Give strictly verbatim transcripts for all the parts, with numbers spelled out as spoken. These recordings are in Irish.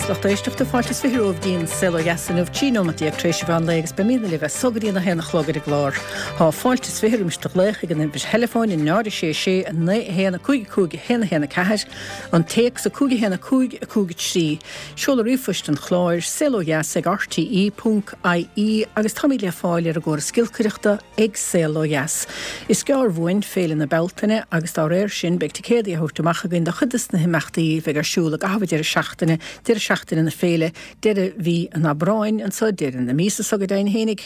Agus lucht éisteachta fáilte is fiche romhaibh dtí'n Saol Ó Dheas inniu trí nóiméad déag tar éis an mheán lae agus beimidne libh as so go dtí a haon a chlog ar an gclár. Tá fáilte is fiche roimis do ghlaoch ag an uimhir theileafóin a náid a sé sé a naoi a haon a cúig a cúig a haon a haon a ceathair, an téacs a cúig a haon a cúig a cúig a trí, seoladh ríomhphoist an chláir saol ó dheas ag rte ponc ie agus táimid le fáil ar an gcóras giolcaireachta ag Saol Ó Dheas. Is gearr uainn Féile na Bealtaine agus dá réir sin beidh ticéadaí á thabhairt amach againn do chuid de na himeachtaí a bheidh ar siúl i gcaitheamh deireadh seachtaine, deireadh seachtaine na féile, deireadh mhí an Aibreáin anso, deireadh na míosa so go deimhin fhéinig,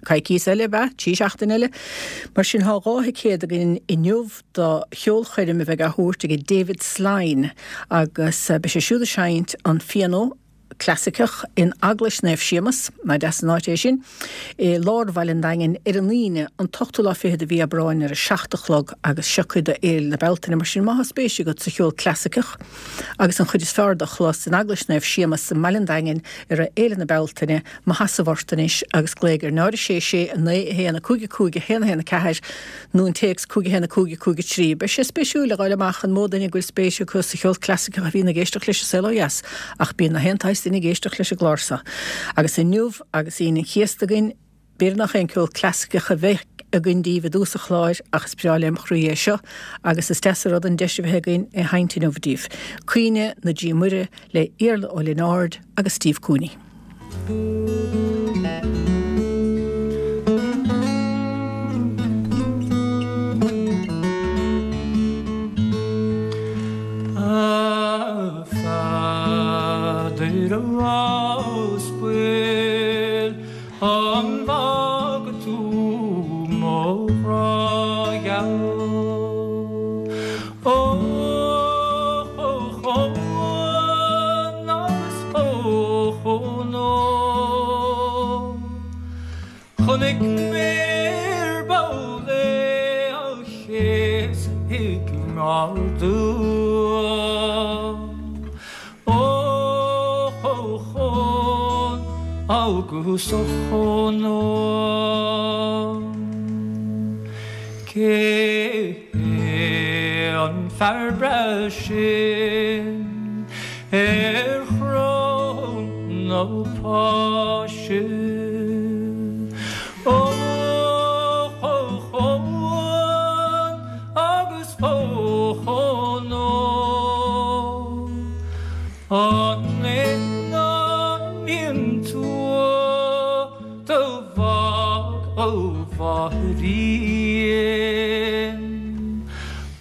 coicís eile ab ea, trí seachtaine eile. Mar sin tá dhá thicéad againn inniu do cheolchoirm a bheidh á thabhairt ag David Slyne agus beidh sé siúd ag seinnt an phianó clasaiceach in Eaglais Naomh Séamus, nach deas an áit é sin, i lár Bhaile an Daingin ar an Aoine an t-ochtú lá fichead de mhí Aibreáin ar a seacht a chlog agus seo cuid de Fhéile na Bealtaine. Mar sin má tá spéis agat sa cheol clasaiceach agus an chuid is fearr de a chlos in Eaglais Naomh Séamus i mBaile an Daingin i rith Fhéile na Bealtaine, mo sheasamh ort anois agus glaoigh ar náid a sé sé a naoi a haon a cúig a cúig a haon a haon a ceathair nó an téacs cúig a haon a cúig a cúig a trí. Beidh sé spéisiúil a dh'fháil amach an mó duine go bhfuil spéis acu sa cheol clasaiceach a bhíonn ag éisteacht leis an Saol Ó Dheas ach bíonn na haon tsaghas duine ag éisteacht leis an gclár seo. Agus inniu agus Aoine an Chéasta againn, b'fhéidir nach aon ceol clasaiceach a bheidh againn daoibh i dtús an chláir ach is breá lem chroí é seo agus is deas an rud an deis a bheith againn é sheinnt inniu daoibh. Caoineadh na Dí Muire le Iarla Ó Lionáird agus Steve Cooney. A Pheadair a aspail, an bhfaca tú mo ghrá gheal? Ó chomh chomh agus ó chomh Chonaic mé ar ball é á chéasadh i ngar dom. Ó chomh chomh agus ó chomh Cé hé an fear breá sin ar chrann na Páise? Ó chomh chomh agus ó chomh An é an tua do mhac ó mháithrín?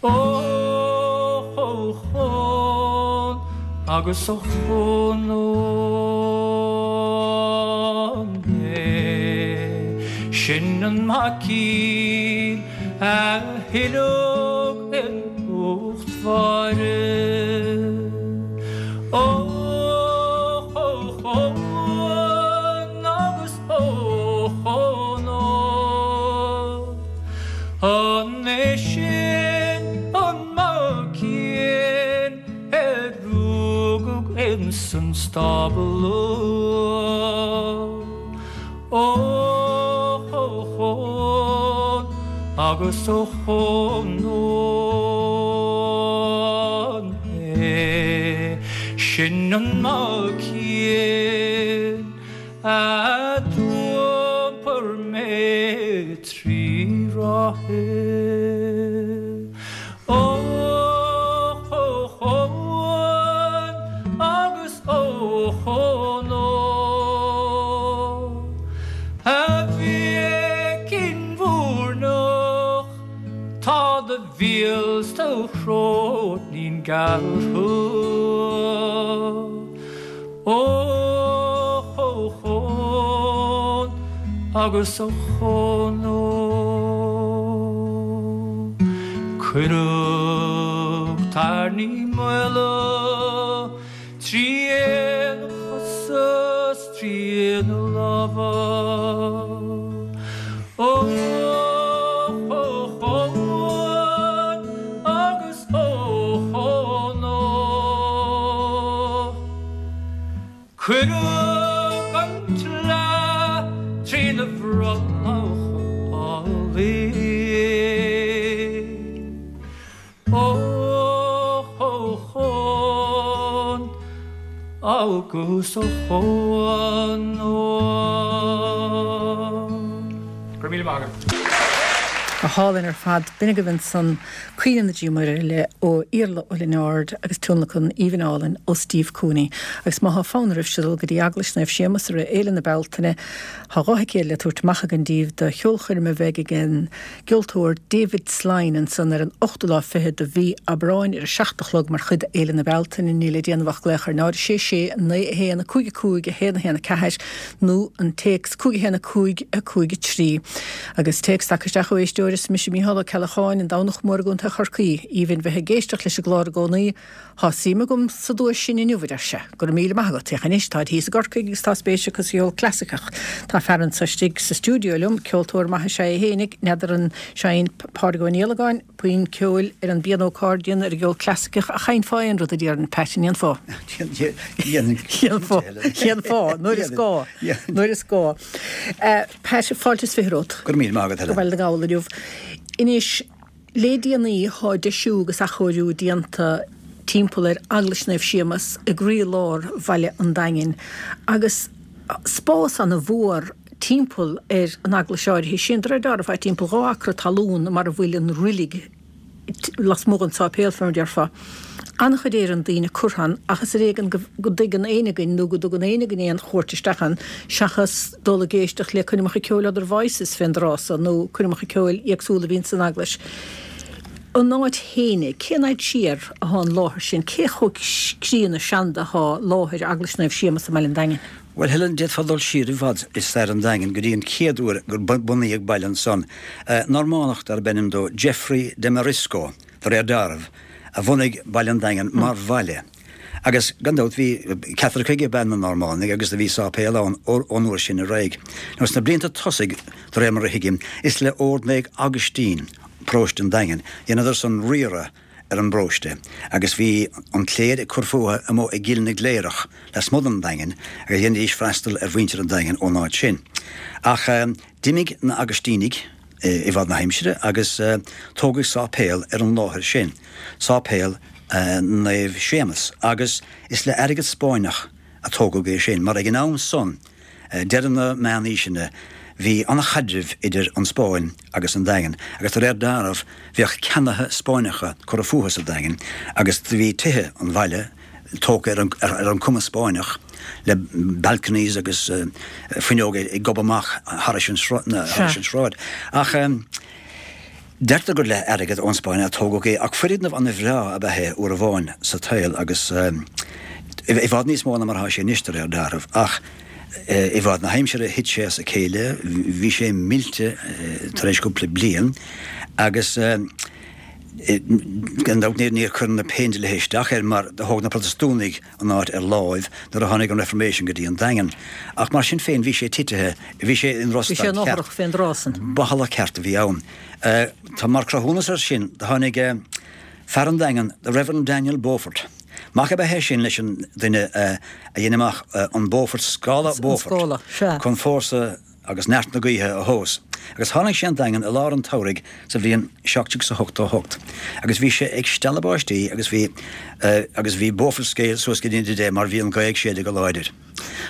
Ó chomh chomh agus ó chomh é sin an maicín a thuillfeadh in ucht Mháire. Ó chomh chomh agus ó chomh An é sin an maicín a rugadh insan stábla? Ó chomh chomh agus ó chomh é sin an maicín a d'iompair mé trí ráithe. Ó chomh chomh agus ó chomh A mhicín mhúirneach, tá do mhíol 's do shróinín gearrtha. Ó chomh chomh agus ó chomh Cuireadh tairní maola trína chosa 's trína lámha. Ó chomh chomh agus ó chomh Cuireadh an tsleá trína bhrollach álainn. Ó chomh chomh agus a chomh Go raibh míle maith agat. Go hálainn ar fad. B'in agaibh ansan Caoineadh na Dí Muire ó Iarla Ó Lionáird agus tionlacan aoibhinn álainn ó Steve Cooney. Agus má thá fonn oraibhse dul go dtí Eaglais Naomh Séamus i rith Fhéile na Bealtaine, thá dhá thicéad le tabhairt amach againn daoibh do cheolchoirm a bheidh ag an gceoltóir David Slyne ansan ar an ochtú lá fichead de mhí Aibreáin ar a seacht a chlog mar chuid d'Fhéile na Bealtaine. Níl le déanamh ach glaoch ar náid sé sé naoi a haon a cúig a cúig a haon a haon a ceathair nó an téacs cúig a haon a cúig a cúig a trí. Agus téacs tagtha isteach ó éisteoir is mise Mícheál Ó Ceallacháin, an Domhnach Mór i gContae Chorcaí. Aoibhinn bheith ag éisteacht leis an gclár i gcónaí. Thá suim agam sa duais sin inniu, a deir sé. Go raibh míle maith agat. Féach anois, táid thíos i gCorcaigh agus tá spéis acu sa cheol clasaiceach. Tá fear anso istigh sa stiúideo liom, ceoltóir maith is ea é fhéinig, n'fheadar an seineann Pádraig Ó Niallagáin puinn ceoil ar an bpianó accordion ar an gceol clasaiceach ach sheinnfeá aon rud a déarfainn, Pat, an ndéanfá? Dhéanfá, dhéanfá, nuair is gá, nuair is gá. Pat, fáilte is fiche romhat. Go raibh míle maith agat, Helen. Go Baile na nGall inniu. Anois, le déanaí thá deisiú agus athchóiriú déanta timpeall ar Eaglais Naomh Séamus i gcroílár Bhaile an Daingin agus spás ana mhór timpeall ar an eaglais áirithe sin, de réir dealraimh thá timpeall dhá acra talún mar a bhfuil an roilig lasmuigh den sáipéal, fé mar a déarfá. An-chuid Éireann daoine curtha ann ach is ar éigean go dtuigeann éinne againn nó go dtugann éinne againn aon chuairt isteach ann seachas dul ag éisteacht le coirmeacha ceoil Other Voices fén dtráth so nó coirmeacha ceoil éagsúla a bhíonn san eaglais. An áit fhéinig, cén fhaid siar athá an láthair sin? Cé chomh críonna seanda athá láthair Eaglais Naomh Séamus i mBaile an Daingin? Bhuel, Helen, d'fhéadfá dul siar i bhfad i stair an Daingin go dtí an chéad uair gur bunaíodh baile ansan. Normánach darb ainm dó Geoffrey de Marisco, de réir dealraimh, a bhunaigh Baile an Daingin mar bhaile. Agus, gan dabht, bhí Caitlicigh ab ea na Normánaigh agus do bhí sáipéal ann ón uair sin ar aghaidh. Now, sna blianta tosaigh, de réir mar a thuigim, is le Ord Naomh Agaistín, paróiste an Daingin, dheineadar san riaradh ar an bparóiste agus bhí an chléir ag cur fúthu amuigh i gCill na gCléireach, lasmuigh den Daingean, agus dheinidís freastal ar mhuintir an Daingin ón áit sin. Ach d'imigh na Agaistínigh i bhfad na haimsire agus tógadh sáipéal ar an láthair sin, Sáipéal Naomh Séamus, agus is le airgead Spáinneach a tógadh é sin, mar ag an am san, deireadh na meánaoiseanna, bhí an-chaidreamh idir an Spáinn agus an Daingean agus de réir dealraimh bhíodh ceannaithe Spáinneacha curtha fúthu sa Daingean agus do bhí tithe an bhaile tógtha ar an ar an cuma Spáinneach le balconies agus fuinneoga ag gobadh amach thairis an thairis an sráid. Ach deirtear gur le airgead ón Spáinn a tógadh é ach foirgneamh an-bhreá ab ea é uair amháin sa tsaol agus i bhfad níos mó ná mar atá sé anois de réir dealraimh. Ach i bhfad na haimsire thit sé as a chéile, bhí sé millte tar éis cúpla bliain agus gan dabht níor cuireadh na Péindlíthe isteach air mar do thóg na Protastúnaigh an áit ar láimh nuair a tháinig an Reformation go dtí an Daingean. Ach mar sin féin bhí sé titithe, bhí sé in Bhí sé drochstaid in cheart. fhothrach fén dtráth san. Bothalach ceart a bhí ann. Tá mar cruthúnas air sin do tháinig fear an Daingean, the Reverend Daniel Beaufort. Mac ab ea é sin leis an duine a dhein amach an Beaufort, scála An Beaufort, scála, sea. chun fórsa agus neart na gaoithe a thomhas. Agus tháinig sé an Daingean i lár an tsamhraidh sa bhliain seacht déag is ochtó a hocht. Agus bhí sé ag stealladh báistí agus bhí agus bhí Beaufort scale suas go dtí de mar bhí an ghaoth ag séideadh go láidir.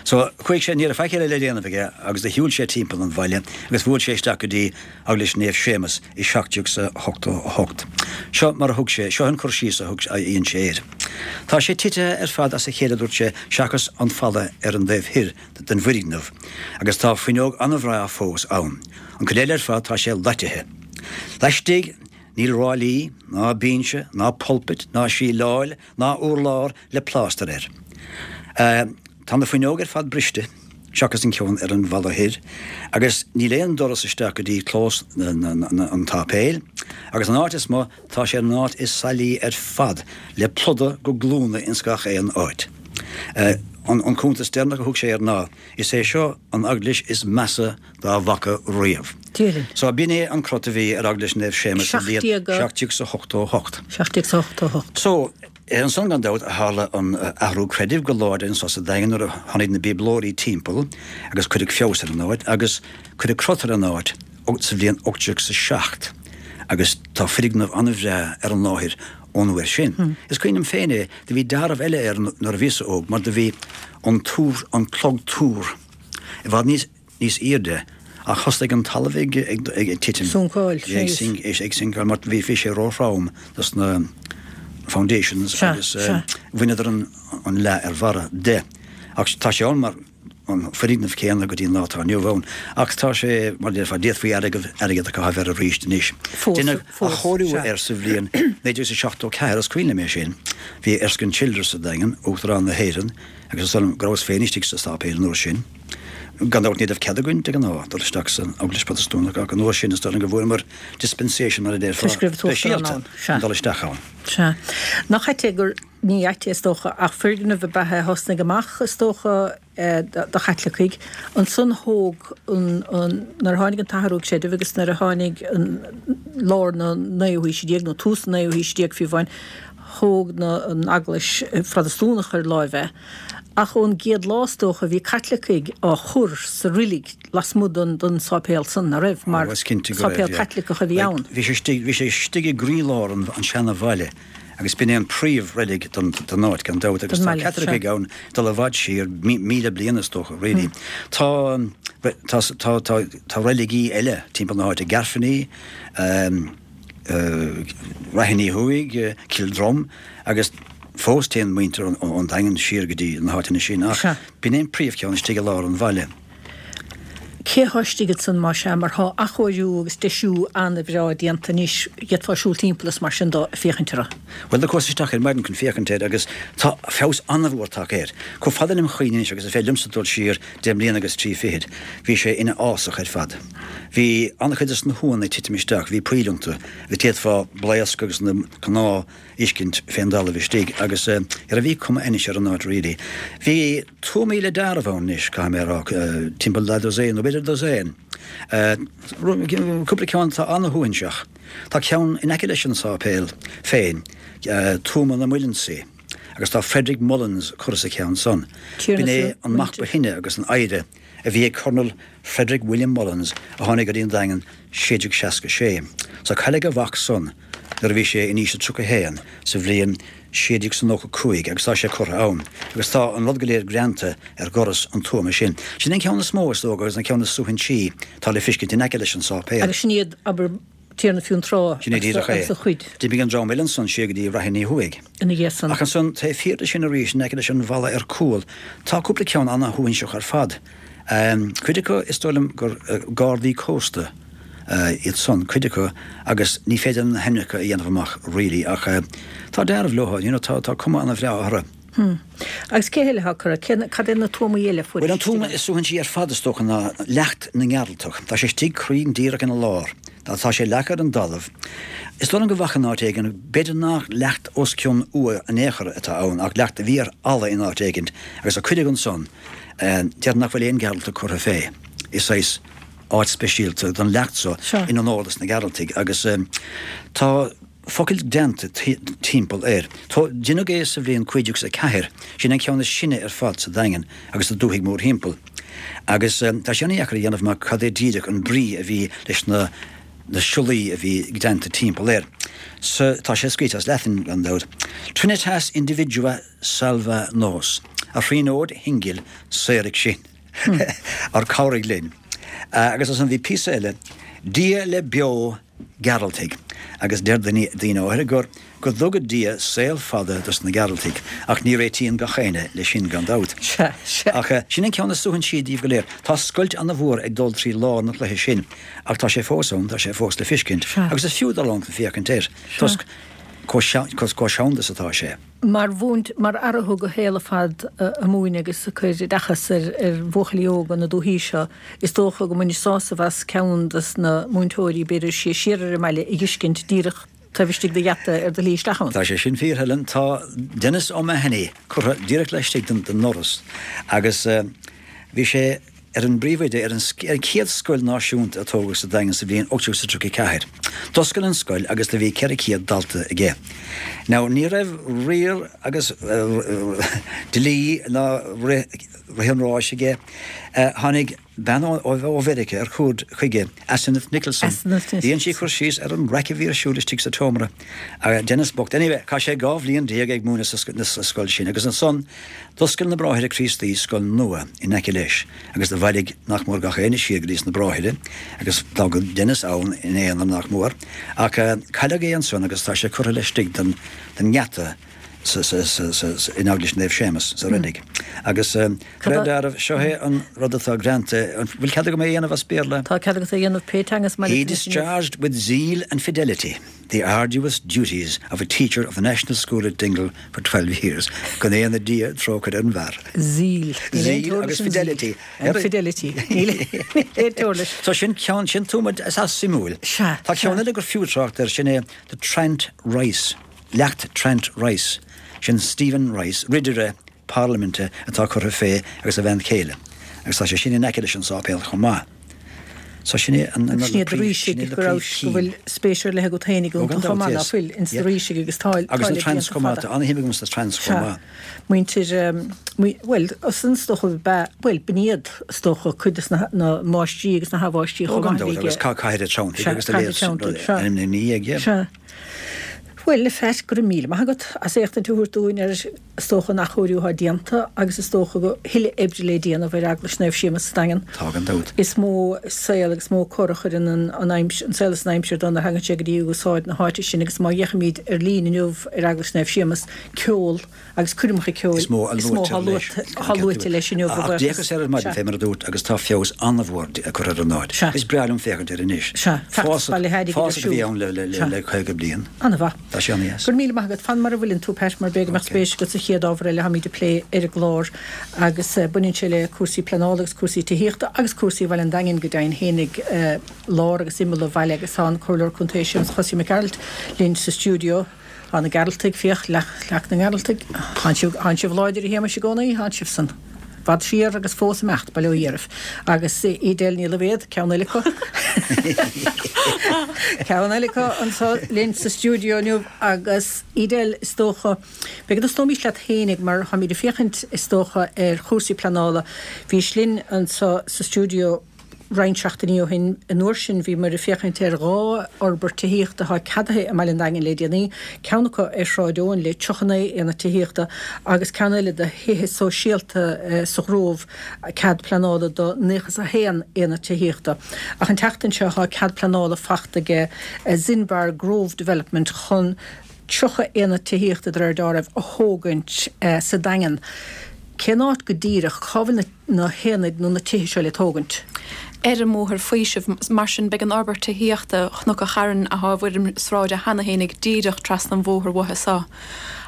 So chuaigh sé, ní raibh faic eile le déanamh aige agus do shiúil sé timpeall an bhaile agus bhuail sé isteach go dtí Eaglais Naomh Séamus i seacht déag is ochtó a hocht. Seo mar a thug sé, seo an cur síos a thug, a dhein sé air. Tá sé titithe ar fad as a chéile, a dúirt sé, seachas an falla ar an dtaobh thoir den bhfoirgneamh, agus tá fuinneog an-bhreá fós ann. An chuid eile ar fad tá sé loitithe. Laistigh níl ráillí, ná binse, ná pulpit, ná síleáil, ná urlár le plástar air. Tá na fuinneoga ar fad briste, seachas an ceann ar an bhalla thoir, agus níl aon doras isteach go dtí clós an tsáipéil, agus an áit is mo, tá sé an áit is sailí ar fad, le pluda go glúine ins gach aon áit. An cuntas deireanach a thug sé air ná, Is é seo an eaglais is measa dá bhfaca riamh. Déarfainn. So b'in é an crot a bhí ar Eaglais Naomh Séamus sa bhliain Seacht déag. seacht déag is a hochtó a hocht. Seacht déag is a hochtó a hocht. So, ansan gan dabht a tharla an athrú creidimh go láidir anso sa Daingean nuair a tháinig na Bíoblóirí timpeall agus cuireadh feabhas ar an áit agus cuireadh crot ar an áit sa bhliain ocht déag is a seacht agus tá foirgneamh an-bhreá ar an láthair ón uair sin. Is cuimhin liom féin é, do bhí dealramh eile air nuair a bhíos óg, mar do bhí an túr, an clog túr, i bhfad níos, níos airde, ach thosaigh an talamh ag, ag, ag, ag titim. Suncáil, Ag sink, ag sinkáil, mar bhí, bhí sé róthrom dos na foundations Sea, agus sea. bhaineadar an, an leath ar bharra de. Ach tá sé ann mar an foirgneamh céanna go dtí an lá atá inniu ann. Ach tá sé, mar déarfá, d'fhéadfaí airgead, airgead a chaitheamh air arís anois. Fós, Deineadh fós, athchóiriú sea. air sa bhliain naoi déag seachtó ceathair, is cuimhin liom é sin. Bhí Erskine Childers sa Daingean, Uachtarán na hÉireann, agus is dóigh liom go rabhas féin istigh sa sáipéal an uair sin. Gan dabht ní raibh cead againn de ghnáth dul isteach san Eaglais Protastúnach, ach an uair sin is dóigh liom go bhfuaireamar dispensation mar a déarfá, Toisc go raibh an tUachtarán speisialta ann, sea. dul isteach ann. Sea. Nach ait é gur ní ait é is dócha ach foirgneamh ab ea é a thosnaigh amach is dócha eh, do do Chaitlicigh. Ansan thóg an, an, nuair a tháinig an t-athrú creidimh agus nuair a tháinig an lár na naoú haoise déag nó tús na naoú haoise déag fiú amháin, thóg na, an Eaglais Phrotastúnach ar láimh é. Ach ón gcéad lá is dócha bhí Caitlicigh á chur sa reilig lasmuigh den, den sáipéal san nach raibh mar Ó, is cinnte go raibh, sáipéal yeah. Caitliceach a bhí Like, ann. Bhí sé istigh, bhí sé istigh i gcroílár an, an seana-bhaile agus b'in é an príomhreilig don, don áit gan dabht agus Don tá mbaile, Caitlicigh sea. ann dul i bhfad siar mí, míle bliain is dócha, really. Tá, tá, tá, tá, tá reiligí eile timpeall na háite Gairfeanaí, um, uh, Raithíní Thuaidh, uh, Kildrum, agus fós téann muintir an, an Daingean siar go dtí na háiteanna sin ach Sea. b'in é an príomhcheann istigh i lár an bhaile. Cé atá istigh ansan mar sea mar tá athchóiriú agus deisiú an-bhreá déanta anois d'fhéadfá siúl timpeall is mar sin dó ag féachaint air. Well do chuas isteach ar maidin chun féachaint air agus tá feabhas an-mhór tagtha air. Chomh fada lem chuimhne anois agus is féidir liomsa dul siar deich mbliana agus trí fichid, bhí sé ina fhásach ar fad. Bhí an-chuid des na huaigheanna ag titim isteach, bhí poill iontu, bhí d'fhéadfá blaosc agus na cnámha a fheiscint fén dtalamh istigh agus uh, ar a bhí cuma anois ar an áit really. Bhí tuamaí le dealramh ann anois caithfidh mé a rá, uh, timpeall leath dosaen nó b'fhéidir dosaen. Uh, cúpla ceann tá an-shuaithinseach. Tá ceann in aice leis an sáipéal féin, uh, tuama na Mullinsaí. Agus tá Frederick Mullins curtha sa cheann san. Tiarna B'in é sa an mac ba shine agus an oidhre a bhí ag Colonel Frederick William Mullins a tháinig go dtí an Daingean sé déag seasca sé. So cailleadh a mhac san nuair a bhí sé in aois a tríocha haon sa bhliain sé déag nócha cúig agus tá sé curtha ann. Agus tá an rud go léir greanta ar dhoras an tuama sin. Sin an ceann is mó is dócha agus an ceann is suaithinsí tá le feiscint in aice leis an sáipéal. Agus sin iad abair Tiarna Fionntrá Sin é díreach é. agus a chuid D'imigh an dream eile san siar go dtí Raithíní Thuaidh. ina dhiaidh san. Ach ansan taobh thiar de sin arís in aice leis an bhalla ar cúl, tá cúpla ceann an-shuaithinseach ar fad. Um, cuid acu is dóigh liom gur uh, gardaí cósta uh, iad san cuid acu agus ní féidir na hainmneacha a dhéanamh amach really ach uh, tá dealramh leo, you know, tá, tá cuma an-bhreá orthu. Hmm. Agus cé eile atá curtha Cé- cad é na tuamaí eile fuair Well an tuama is suaithinsí ar fad is dócha ná leacht na nGearaltach. Tá sé istigh cruinn díreach ina lár. Tá tá sé leagtha ar an dtalamh. Is dóigh liom go bhfaca in áit éigin, b'fhéidir nach leacht os cionn uaigh in aon chor atá ann ach leacht a bhí ar fhalla in áit éigin agus a cuireadh ansan deir nach bhfuil aon Ghearaltach curtha fé. Is é áit speisialta don leacht so Sure. in onóir dos na Gearaltaigh agus um, tá focail déanta timpeall air. Tá deineadh é sa bhliain cúig déag a ceathair, sin an ceann is sine ar fad sa Daingean agus sa dúthaigh mórthimpeall. Agus um, tá sé an-deacair a dhéanamh amach cad é díreach an brí a bhí leis na na siollaí a bhí déanta timpeall air. So tá sé scríte as Latin gan dabht. Trinitas individua salva nos. A Thríonóid shingil saoraigh sinn. Ar cabhraigh linn. Uh, agus as an bhí píosa eile, Dia le beo Gearaltaigh, agus deir daoine daoine áirithe gur go dtuga Dia saol fada dos na Gearaltaigh, ach ní réitíonn gach éinne leis sin gan dabht. Sea, sea. Ach eh, sin an ceann is suaithinsí díobh go léir. Tá scoilt an-mhór ag dul trí lár na cloiche sin, ach tá sé fós ann, tá sé fós le feiscint, Sea. agus is fiú dul ann chun féachaint air. Toisc chomh seanda is atá sé. Mar mhúint mar fhear a thug a shaol ar fad ag múineadh agus ag cur oideachas ar ar bhuachaillí óga na dúichí seo, is dócha go mbainfí sásamh as ceann des na múinteoirí b'fhéidir sé siar ar an mbaile a fheiscint díreach taobh istigh de gheata ar do shlí isteach ann. Tá sé sin fíor Helen tá Denis O'Mahony curtha díreach laistigh den den ndoras agus uh, bhí sé ar an bpríomhoide ar an ar an chéad scoil náisiúnta a tógadh sa Daingean sa bhliain ocht déag tríocha ceathair. D'oscail an scoil agus do bhí ceithre chéad dalta aige. Now ní raibh riar agus uh, dlí ná rith an ráis aige. Uh, tháinig bean ó Mheiriceá ar cuairt chuige, Asenath Nicholson. Dhein sí cur síos ar an raic a bhí ar siúl istigh sa tseomra. Denis bocht. Anyway, chaith sé dhá bhliain déag ag múineadh sa scoil sin agus ansan d'oscail na Bráithre Críostaí scoil nua in aice leis agus do bhailigh nach mór gach éinne siar go dtí sna Bráithre agus d'fhágadh Denis ann ina aonar nach mór. Ach cailleadh é ansan agus tá sé curtha laistigh den ngeata in Eaglais Naomh Séamus sa reilig. Agus de réir dealraimh, seo é an rud atá greanta, an bhfuil cead agam é a dhéanamh as Béarla? Tá cead agat é a dhéanamh pé teanga is maith He discharged with zeal and fidelity the arduous duties of a teacher of the National School at Dingle for twelve years. Go ndéana Dia trócaire ar an bhfear. Zeal. Zeal agus fidelity. And fidelity. Níl aon teora leis. So sin ceann, sin tuama is suimiúil. Sea. Tá ceann eile gur fiú trácht air, sin é the Trant Rice. Leacht Trant Rice, sin Stephen Rice, ridire parlaiminte atá curtha fé agus a bhean chéile. Agus tá sé sin in aice leis an sáipéal chomh maith. So sin é an Sin iad Rísigh go raibh go bhfuil spéis ar leith agat féinig iontu chomh maith, nach bhfuil, ins na Rísigh agus tá Agus na Trants chomh maith, tá an-shuim agam sna Trants chomh maith. Muintir, bhuel, san is dócha ba, bhuel, b'in iad is dócha cuid de na máistrí agus na hathmháistrí chomh maith a bhí ag. Agus Cathair Treanntaigh agus a leithéid, ainmnithe ina dhiaidh, yeah. Sea. Bhuel, a Phat, go raibh míle maith agat as éachtaint a thabhairt dúinn ar, is dócha, an athchóiriú atá déanta agus is dócha go thuilleadh oibre le déanamh ar Eaglais Naomh Séamus sa Daingean. Tá gan dabht. Is mó saol agus mó cor a chuireann an, an aimsir, an saol is an aimsir dó nuair a thagann sé go dtí úsáid na háite sin agus má fhéachaimid ar líne inniu ar Eaglais Naomh Séamus, ceol agus coirmeacha ceoil is mó atá luaite leis inniu. Ach d'fhéachas air ar maidin fé mar a dúirt agus tá feabhas an-mhór curtha ar an áit. Is breá liom féachaint air anois. Fásach a bhí ann le caoga bliain. An-mhaith. Tá sé an-dheas. Go raibh míle maith agat. Fan mar a bhfuileann tú, Pat, mar b'fhéidir go mbeadh spéis agat sa chéad ábhar eile a tháimid ag plé ar an gclár agus baineann sé le cúrsaí pleanála agus cúrsaí tithíochta agus cúrsaí Bhaile an Daingin go deimhin fhéinig, lár agus imeall an bhaile agus tá an Comhairleoir Contae Séamus Chosaí Mac Gearailt linn sa stiúideo. Tá na Gearaltaigh, féach, leac na nGearaltaigh. Tánn sibh, tánn sibh láidir a Shéamais i gcónaí, tánn sibh san bhfad siar agus fós ag imeacht, bail ó Dhia oraibh. Agus Edel Ní Loibhéad, ceann eile acu. Ceann eile acu anseo linn sa stiúideo inniu agus Edel, is dócha, b'fhéidir go dtosnóimis leat fhéinig mar táimid ag féachaint, is dócha, ar chúrsaí pleanála. Bhís linn anseo sa stiúideo roinnt seachtainí ó shin. An uair sin bhíomar ag féachaint ar dhá fhorbairt tithíochta atá ceadaithe i mBaile an Daingin le déanaí, ceann acu ar Shráid Eoin le tríocha naoi aonad tithíochta agus ceann eile de thithe sóisialta sa Ghrove, cead pleanála do naocha is a haon aonad tithíochta. Ach an tseachtain seo tá cead pleanála fachta aige Zinbar Grove Development chun tríocha aonad tithíochta de réir dealraimh a thógaint sa Daingean. Cén áit go díreach? Cá bhfuil na haonaid nó na tithe seo le tógaint? Ar an mBóthar Faoisimh. Mar sin, beidh an fhorbairt tithíochta Chnoc an Chairn athá i bhfoirm sráide cheana fhéinig díreach trasna an bhóthair uathu so.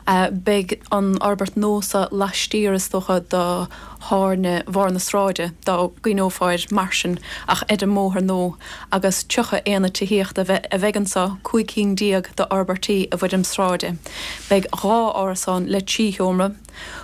Beidh an fhorbairt nua so laistiar, is dócha, de thairne bharr na sráide, dá gcuimhneofá air mar sin, ach ar an mbóthar nua, agus tríocha aonad tithíochta a bheidh anso, cúig cinn déag d'fhorbairtí i bhfoirm sráide. Beidh dhá árasán le trí sheomra,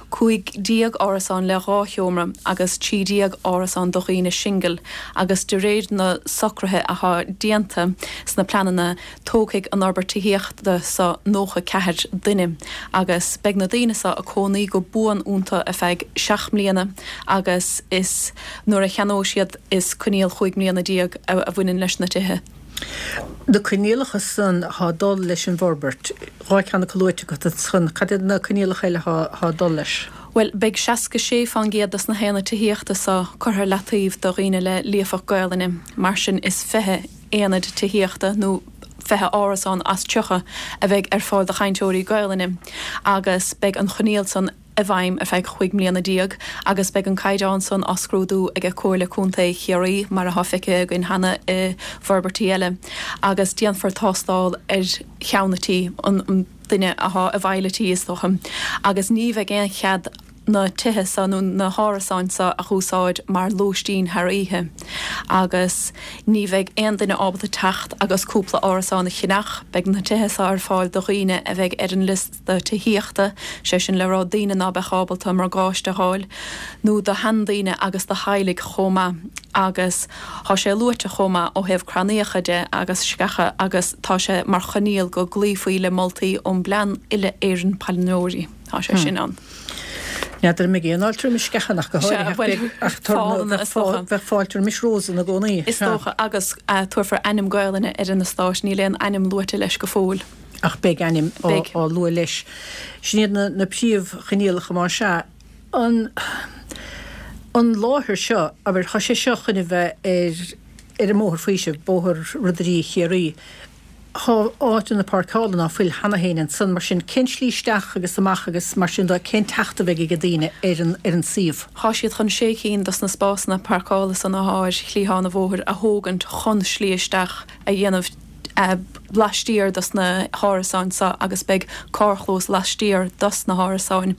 cúig déag árasán le dhá sheomra agus trí déag árasán do dhaoine singil agus de réir na socruithe athá déanta sna pleananna tógfaidh an fhorbairt tithíochta so nócha ceathair duine agus beidh na daoine so ag cónaí go buan iontu ar feadh seacht mbliana agus is nuair a cheannóidh siad is coinníoll chúig mbliana déag a bhaineann leis na tithe. Na coinníollacha san athá ag dul leis an bhforbairt, dhá cheann acu luaite agat ansan, cad iad na coinníollacha eile athá ag dul leis? Bhuel, beidh seasca sé fán gcéad dos na haonaid tithíochta so curtha ar leataobh do dhaoine le líofacht Gaelainne, mar sin is fiche aonad tithíochta nó fiche árasán as tríocha a bheidh ar fáil do chainteoirí Gaelainne agus beidh an choinníoll san i bhfeidhm ar feadh chúig mbliana déag agus beidh an caighdeán san á scrúdú ag Comhairle Contae Chiarraí, mar atá feicthe againn cheana i bhforbairtí eile, agus déanfar tástáil ar cheann an tí, an duine atá i bhfeighil an tí is dócha, agus ní bheidh aon chead na tithe so nó na hárasáin so a dh'úsáid mar lóistín thar oíche agus ní bheidh aon duine ábalta teacht agus cúpla árasán a cheannach. Beidh na tithe so ar fáil do dhaoine a bheidh ar an liosta tithíochta, sé sin le rá daoine ná beadh ábalta morgáiste a dh'fháil, nó do sheandaoine agus do theaghlaigh chomh maith agus thá sé luaite chomh maith ó thaobh crannaíocha de agus sceacha agus tá sé mar choinníoll go gcloífí le moltaí ón bPlean Uile-Éireann Pailneoirí. Tá sé sin ann. N'fheadar an mbeidh aon fháilte roimis sceachan ach go háirithe ach bheadh fáilte roimis rósanna i gcónaí. Is dócha agus tabharfar ainm Gaelainne ar an eastát, níl aon ainm luaite leis go fóill. Ach beidh ainm á lua leis. Sin iad na príomhchoinníollacha más ea. An an láthair seo, abair, tá sé seo chun a bheith ar ar an mBóthar Faoisimh, Bóthar Ridire Chiarraí. Tá áiteanna páirceála ná fuil cheana féin ansan, mar sin cén slí isteach agus amach agus mar sin de, cén teacht a bheidh ag daoine ar an ar an suíomh? Tá siad chun sé cinn dos na spásanna páirceála san athá ar chliathán an bhóthair a thógaint chun slí isteach a dhéanamh laistiar dos na hárasáin so agus beidh carrchlós laistiar dos na hárasáin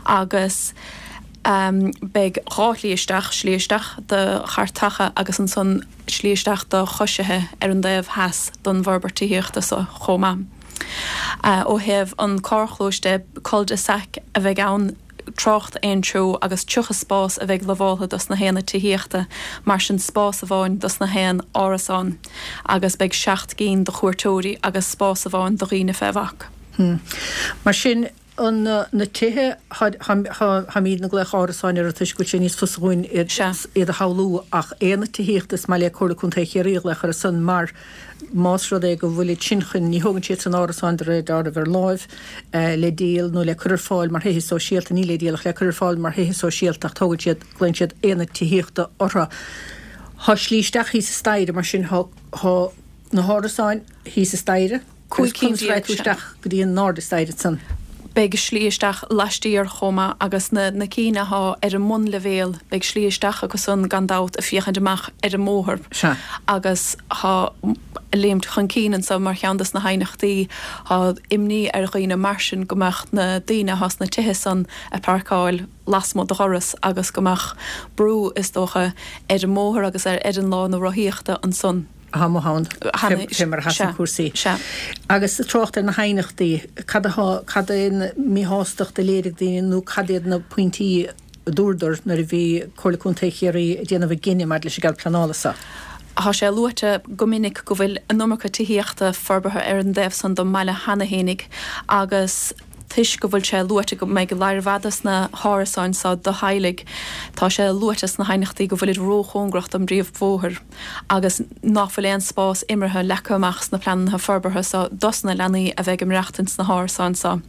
agus beidh dhá shlí isteach, slí isteach do chairteacha agus ansan slí isteach do choisithe ar an dtaobh theas don bhforbairt tithíochta so chomh maith. Ó thaobh an carrchlóis de, cul-de-sac a bheidh ann, trácht aon treo agus tríocha spás a bheidh lamháltha dos na haonaid tithíochta, mar sin spás amháin dos na haon árasán agus beidh seacht gcinn do chuairteoirí agus spás amháin do dhaoine fé bhac. Mar sin, an na tithe, táimidne ag glaoch árasáin orthu toisc go bhfuil sé níos fusa dhúinn iad a shamhlú ach aonaid tithíochta is maith le Comhairle Contae Chiarraí a ghlaoch orthu san mar más rud é go bhfuilid sin chun, ní thógann siad san árasáin de réir dealraimh ar láimh le díol nó le cur ar fáil mar thithe sóisialta, ní le díol ach le cur ar fáil mar thithe sóisialta ach tógann siad, glaonn siad aonaid tithíochta orthu. Tá slí isteach thíos an staighre mar sin tá na hárasáin thíos an staighre. Cúig cinn Conas a déag, raghaidh tú sea. isteach go dtí an airde staighre ansan? Beidh slí isteach laistiar chomh maith agus na na cinn athá ar an mbunleibhéal, beidh slí isteach acu san gan dabht ag féachaint amach ar an mbóthar. Sea. Agus thá léimt chun cinn anso mar cheann dos na haighneachtaí, thá imní ar dhaoine mar sin go mbeadh na daoine athá sna tithe san ag páirceáil lasmuigh de dhoras agus go mbeadh brú, is dócha, ar an mbóthar agus ar ar an lána rothaíochta ansan. Atá amuigh ann, fé mar a sheasann cúrsaí. Agus trácht ar na haighneachtaí, cad atá, cad é an mhíshástacht a léirigh daoine nó cad iad na pointí a dúradar nuair a bhí Comhairle Contae Chiarraí ag déanamh a gcinneadh maidir leis an gcead pleanála seo? Tá sé luaite go minic go bhfuil an iomarca tithíochta forbartha ar an dtaobh san don mbaile cheana fhéinig agus toisc go bhfuil sé luaite go mbeidh lear mhaith dos na hárasáin seo do theaghlaigh, tá sé luaite sna haighneachtaí go bhfuilid róchóngarach don bpríomhbhóthar agus ná fuil aon spás imeartha leagtha amach sna pleananna forbartha seo dos na leanaí a bheidh ag maireachtaint sna hárasáin seo.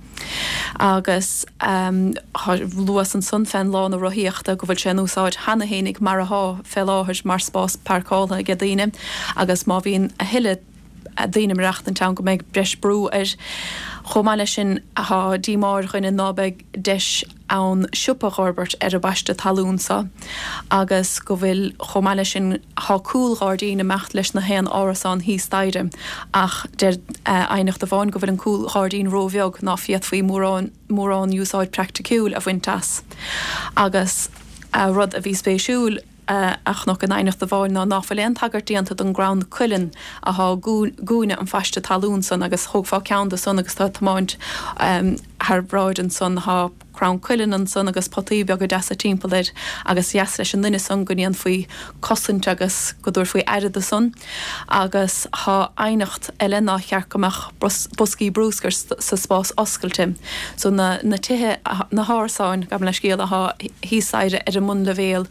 Agus luas ansan fén lána rothaíochta go bhfuil sé in úsáid cheana fhéinig mar athá fé láthair mar spás páirceáltha aige daoine agus má bhíonn a thuilleadh daoine ag maireachtaint ann go mbeidh breis brú air. Chomh maith leis sin thá díomá ar dhaoine ná beidh deis ann siopa a dh'fhorbairt ar an bpaiste talún so agus go bhfuil chomh maith leis sin thá cúl-ghairdín ag imeacht leis na haon árasán thíos staighre ach deir aighneacht amháin go bhfuil an cúl-ghairdín ró-bheag ná féadfaí mórán mórán úsáid praiticiúil a bhaint as. Agus rud a bhí spéisiúil. a chonac in aighneacht amháin ná ná fuil aon tagairt déanta don gcrann cuilinn athá i gcúinne an phaiste talún san agus thógfá ceann de san agus tá tiomáint thar bráid ansan thá crann cuilinn ansan agus potaí beaga deasa timpeall air agus dheas leis an nduine san go ndéanfaí cosaint agus go dtabharfaí aire do san agus thá aighneacht eile nár cheart go mbeadh boscaí brúscair sa spás oscailte so na na tithe na hárasáin gabh mo leithscéal athá thíos staighre ar an mbunleibhéal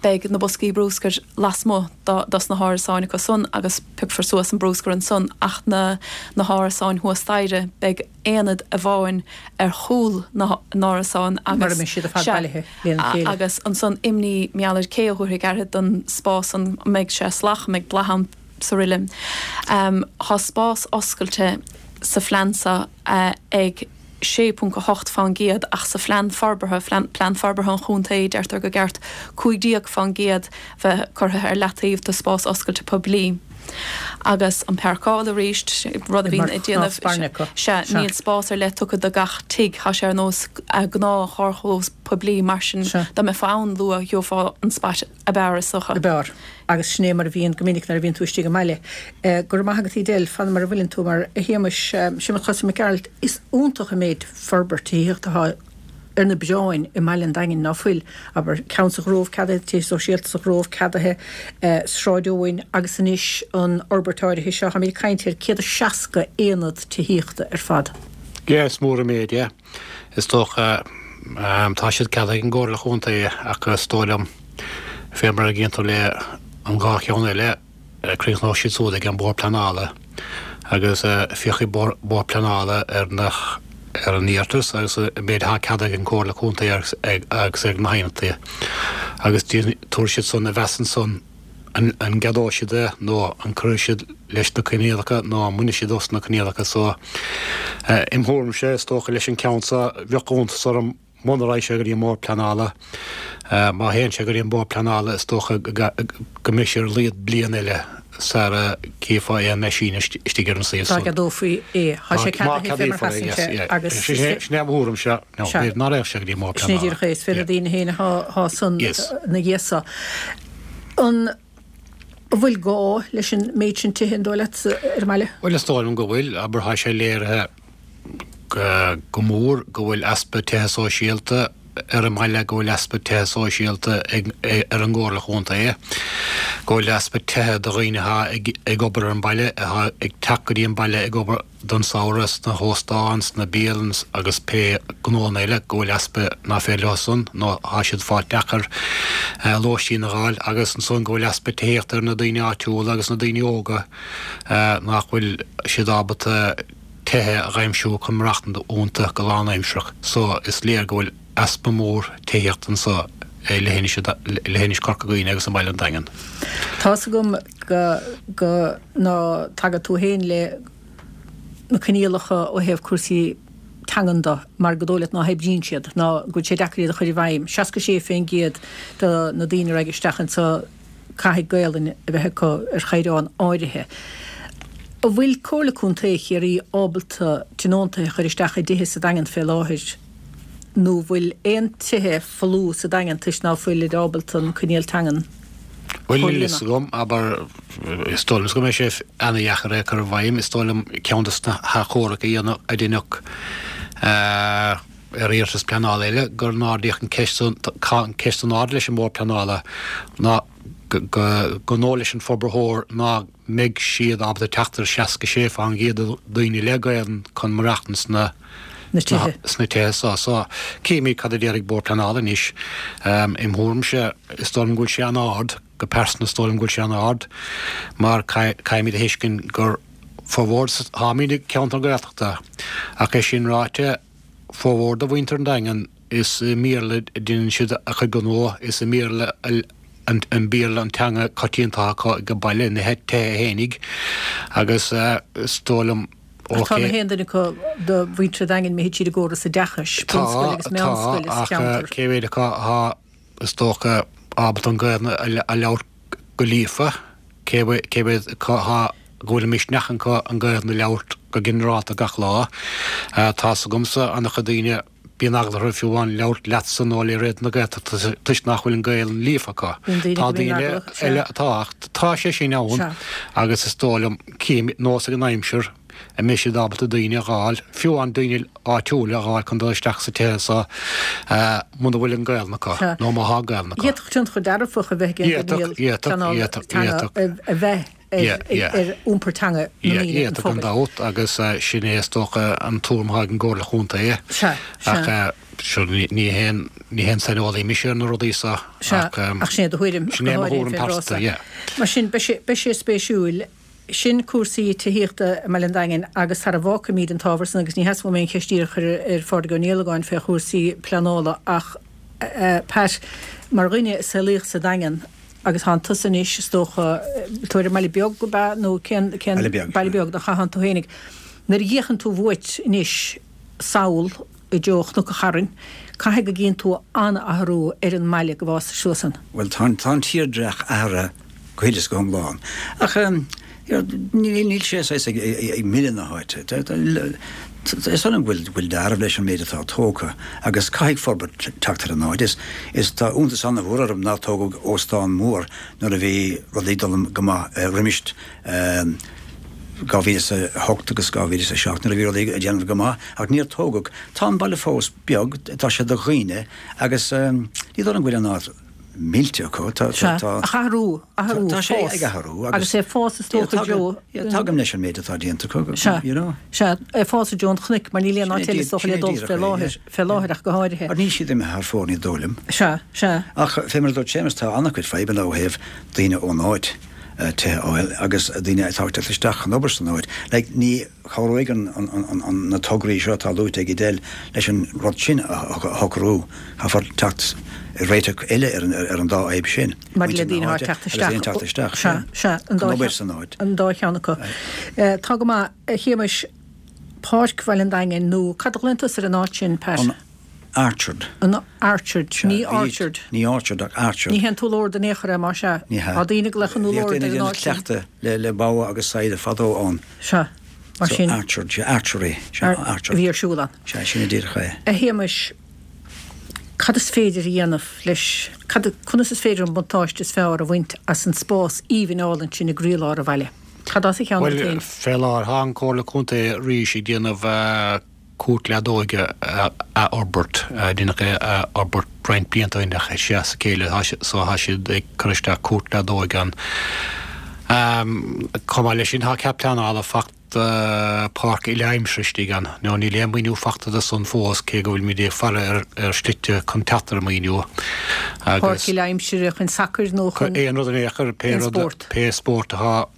Beidh na boscaí brúscair lasmuigh dos na hárasáin acu san agus piocfar suas an brúscar ansan ach na na hárasáin thuas staighre beidh aonad amháin ar chúl na n-árasán Mar a agus mbeidh siad ar fad sea bailithe lena chéile. agus ansan imní mar gheall ar cé a thabharfaidh aire don spás an mbeidh sé salach an mbeidh bláth ann is araile. Tá spás oscailte sa phlean seo ag sé ponc a hocht fán gcéad ach sa phlean forbartha, Plean Forbartha an Chontae, deirtear gur ceart cúig déag fán gcéad bheith curtha ar leataobh do spás oscailte poiblí. Agus an páirceáil arís, rud a Mar bhíonn ag chnámh déanamh, spairne acu. sea, Sea. níl spás ar leith tugtha do gach tigh, tá sé ar nós gnáth-charrchlós poiblí, mar sin Sea. dá mbeifeá ann luath gheofá an spot ab fhearr is dócha. Ab fhearr. Agus sin é mar a bhíonn go minic nuair a bhíonn tú istigh i mbaile. Go raibh maith agat Edel, fan mar a bhfuileann tú mar, a Shéamais, Séamus Chosaí Mac Gearailt, is iontach an méid forbairt tithíochta atá ar na bioráin i mbaile an Daingin, ná fuil, abair, ceann sa Ghrove ceadaithe, tithe sóisialta sa Ghrove ceadaithe, Sráid Eoin agus anois an fhorbairt áirithe seo, táimid ag caint ar céad is seasca aonad tithíochta ar fad. Yeah, is mór an méid é. Is dócha, Tá siad ceadaithe ag an gComhairle Chontae ach is dóigh liom, fé mar a gcíonn tú le an dhá cheann eile, críochnóidh siad súd ag an Bord Pleanála agus féachfaidh Bord Pleanála ar na ar an iarratas agus an méid atá ceadaithe ag an Chomhairle Contae agus ag na hAonaid agus tabharfaidh siad san a mheas ansan an gceadóidh siad é nó an gcuirfidh siad leis na coinníollacha nó an mbainfidh siad dos na coinníollacha so. Im thuairimse, is dócha leis an ceann so, bheadh iontas orm muna raghaidh sé go dtí an mBord Pleanála. Má théann sé go dtí an Bord Pleanála is dócha go mbeidh sé ar a laghad bliain eile sara gcífeá aon meaisín istigh ar an suíomh san. Dá gceadófaí é. Tá sé ceadaithe fé mar sheasann sé agus. Sin é mo thuairimse. No, b'fhéidir ná raghadh sé go dtí an mBord Pleanála. Sin é díreach é. Is fé na daoine féin athá san na dhiaidh so. An bhfuil gá leis an méid sin tithe, an dóigh leat, ar an mbaile? Bhuel, is dóigh liom go bhfuil. Abair, tá sé léirithe go mór go bhfuil easpa tithe sóisialta ar an mbaile, go bhfuil easpa tithe sóisialta ar an gComhairle Chontae, go bhfuil easpa tithe do dhaoine atá ag obair ar an mbaile, atá ag teacht go dtí an baile ag obair don samhradh sna hóstáin, sna bialanna agus pé gnóanna eile, go bhfuil easpa ná féidir leo san nó tá siad fáil deacair lóistín a dh'fháil agus ansan go bhfuil easpa tithíochta ar na daoine áitiúla agus na daoine óga nach bhfuil siad ábalta tithe a dh'aimsiú chun maireachtaint iontu go lánaimsearach. So is léir go bhfuil easpa mór tithíochta anso i leithinis leithinis Chorca Dhuibhne agus i mbaile an Daingin. Tá's agam go go ná tagann tú féin le na coinníollacha ó thaobh cúrsaí teangan de mar go dóigh leat ná hoibríonn siad ná go bhfuil sé deacair iad a chur i bhfeidhm. seasca sé fén gcéad de na daoine a raghaidh isteach anso caithfidh Gaolainn a bheith acu ar chaighdeán áirithe. An bhfuil Comhairle Contae Chiarraí ábalta tionóntaithe a chur isteach i dtithe sa Daingean fé láthair nó bhfuil aon tithe folamh sa Daingean toisc ná fuilid ábalta an coinníoll teangan Bhuel, níl fhios agam, abair, is dóigh liom go mbeidh sé ana-dheacair é a chur i bhfeidhm. Is dóigh liom ceann de na hachomhairc a dhéanadh, a deineadh ar iarratas pleanála eile, gur n-ardaíodh an ceist san, an ceist in airde leis an mBord Pleanála ná go, go ndóigh leis an forbarthóir ná mbeidh siad ábalta teacht ar seasca sé fán gcéad de dhaoine le Gaelainn chun maireachtaint sna na tithe. sna tithe so. So, cífimid cad a déarfaidh Bord Pleanála anois. Im thuairimse, is dóigh liom go bhfuil sé an-ard, go pearsanta is dóigh liom go bhfuil sé an-ard, mar caithfimid a thuiscint gur formhór, táimid i gceantar Gaeltachta, ach é sin ráite, formhór de mhuintir an Daingin, is i mBéarla a deineann siad a chuid gnó, is i mBéarla an Béarla an teanga coitianta acu ag baile, ina dtithe fhéinig, agus is dóigh liom, Ach tá na haon duine acu de mhuintir an Daingin imithe tríd an gcóras oideachais, bunscoil agus meánscoil sa cheantar. Tá, tá, ach cé mhéad acu atá, is dócha, ábalta an Ghaelainn a labhairt go líofa, cé mhéad acu atá, go bhfuil an misneach acu an Ghaelainn a labhairt go ginearálta gach lá. Tá's agamsa an-chuid daoine, Bíonn eagla orthu fiú amháin labhairt leatsa nó le Raidió na Gaeltachta toisc nach bhfuil an Ghaelainn líofa acu. Tá daoine eile atá ach tá sé sin ann agus is dóigh liom, cím nós ag an aimsir a mbeidh siad ábalta daoine a dh'fháil, fiú amháin daoine áitiúla a dh'fháil chun dul isteach sa tithe so muna bhfuil an Ghaelainn acu nó má thá Gaelainn acu. D'fhéadfadh tionchar dearfach a bheith ag an gcoinníoll pleanála teanga a bheith ar iompar teanga na ndaoine, an phobail. Gan dabht, agus sin é is dócha an tuairim atá ag an gComhairle Chontae. Sea, sea. Ach sure, ní haon, ní haon saineolaí mise ar na rudaí so, Sea, ach ach sin é do thuairim, sin é mo thuairim pearsanta, yeah. Mar sin, beidh sé, beidh sé spéisiúil. Sin cúrsaí tithíochta i mBaile an Daingin agus sara bhfágfaimid an t-ábhar san, agus ní sheasfadh mé an cheist díreach a chur ar Phádraig Ó Niallagáin fé chúrsaí pleanála ach, Pat, mar dhuine a saolaíodh sa Daingean, Agus thánn tusa anois, is dócha, tú ar an mBaile Beag, ab ea, nó cén, cén, Baile Beag. Baile Beag, nach ea, thánn tú fhéinig. Nuair a fhéachann tú uait anois sall i dtreo Chnoc an Chairn, caithfidh go gcíonn tú an-athrú ar an mbaile go bhfásais suas ann. Bhuel, tá an, tá an tírdhreach athraithe go huile is go hiomlán. Ach, níl sé saghas ag milleadh na háite. Is dóigh liom go bhfuil dealramh leis an méid atá tógtha agus caithfidh forbairt teacht ar an áit. Is tá iontas an-mhór orm nár tógadh óstán mór nuair a bhí rudaí ag dul go maith roimis dhá mhíle is a hocht agus dhá mhíle is a seacht nuair a bhí rudaí ag déanamh go maith ach níor tógadh. Tá an baile fós beag, tá sé do dhaoine agus ní dóigh liom go bhfuil an áit millte acu. Tá Sea, ach athrú, athrú, Tá sé fás. ag athrú Agus é fás is Yeah, dócha tagaim- i dtreo. yeah, Tagaim leis an méid atá déanta acu, Sea, you know. sea, é fás i dtreo an chnoic, mar níl aon áit Sin é eile is dócha le sin é dul díreach fé é, láthair, yeah. fé láthair ach go háirithe. Mar níl siad imithe thar fóir ní dóigh liom. Sea, sea. Ach fé mar a dúirt Séamus tá an-chuid fadhbanna ó thaobh daoine ón áit eh, tithe a fháil agus daoine atá ag teacht isteach chun obair san áit. Like, ní chabhróidh an, an, an, an, na tograí seo atá luaite ag Edel leis an rud sin a a shocrú. Caithfear teacht réiteach eile ar an, ar an dá fhadhb sin. Mar le Muintir na daoine háite teacht agus isteach. daoine teacht isteach. Sea, sea, an dá Chun obair cheann- san áit. An dá cheann acu. Eh, Tá go maith, a Shéamais Páirc Bhaile an Daingin nó cad a ghlaonn tusa ar an áit sin, Pat? An Archard. An Archard, ní Bhí- Orchard. Ní Orchard ach Archard. Ní hé an t-úllord in aon chor é mar sea. Ní hea. Tá daoine ag glaoch an Bhíodh úllord daoine ar an ag déanamh áit sin. cleachtadh le, le bogha agus saigheada fadó ann. Sea, mar So sin. Archard, sea, archery, sea, Ar- Archard. Bhí ar siúl ann. Sea, sin é díreach é. A Shéamais, cad is féidir a dhéanamh leis, cad, conas is féidir an buntáiste is fearr a bhaint as an spás aoibhinn álainn sin i gcroílár an bhaile? Cad as a cheann Bhuel, féin? fé láthair tá an Comhairle Contae arís ag déanamh eh, cúirt leadóige a a fhorbairt, eh, déanamh é a fhorbairt roinnt blianta ach sé as a chéile tá si- so tá siad ag cur isteach cúirt leadóige ann. Um, Chomh maith leis sin tá cead pleanála faighte uh, páirc uile-aimsire istigh ann. Nó níl aon mhaoiniú faighte do san fós cé go bhfuil muid ag faire ar, ar slite chun teacht ar an maoiniú. Páirc uile-aimsire chun sacair nó chun aon rud in aon chor pé aon rud spórt. pé spórt atá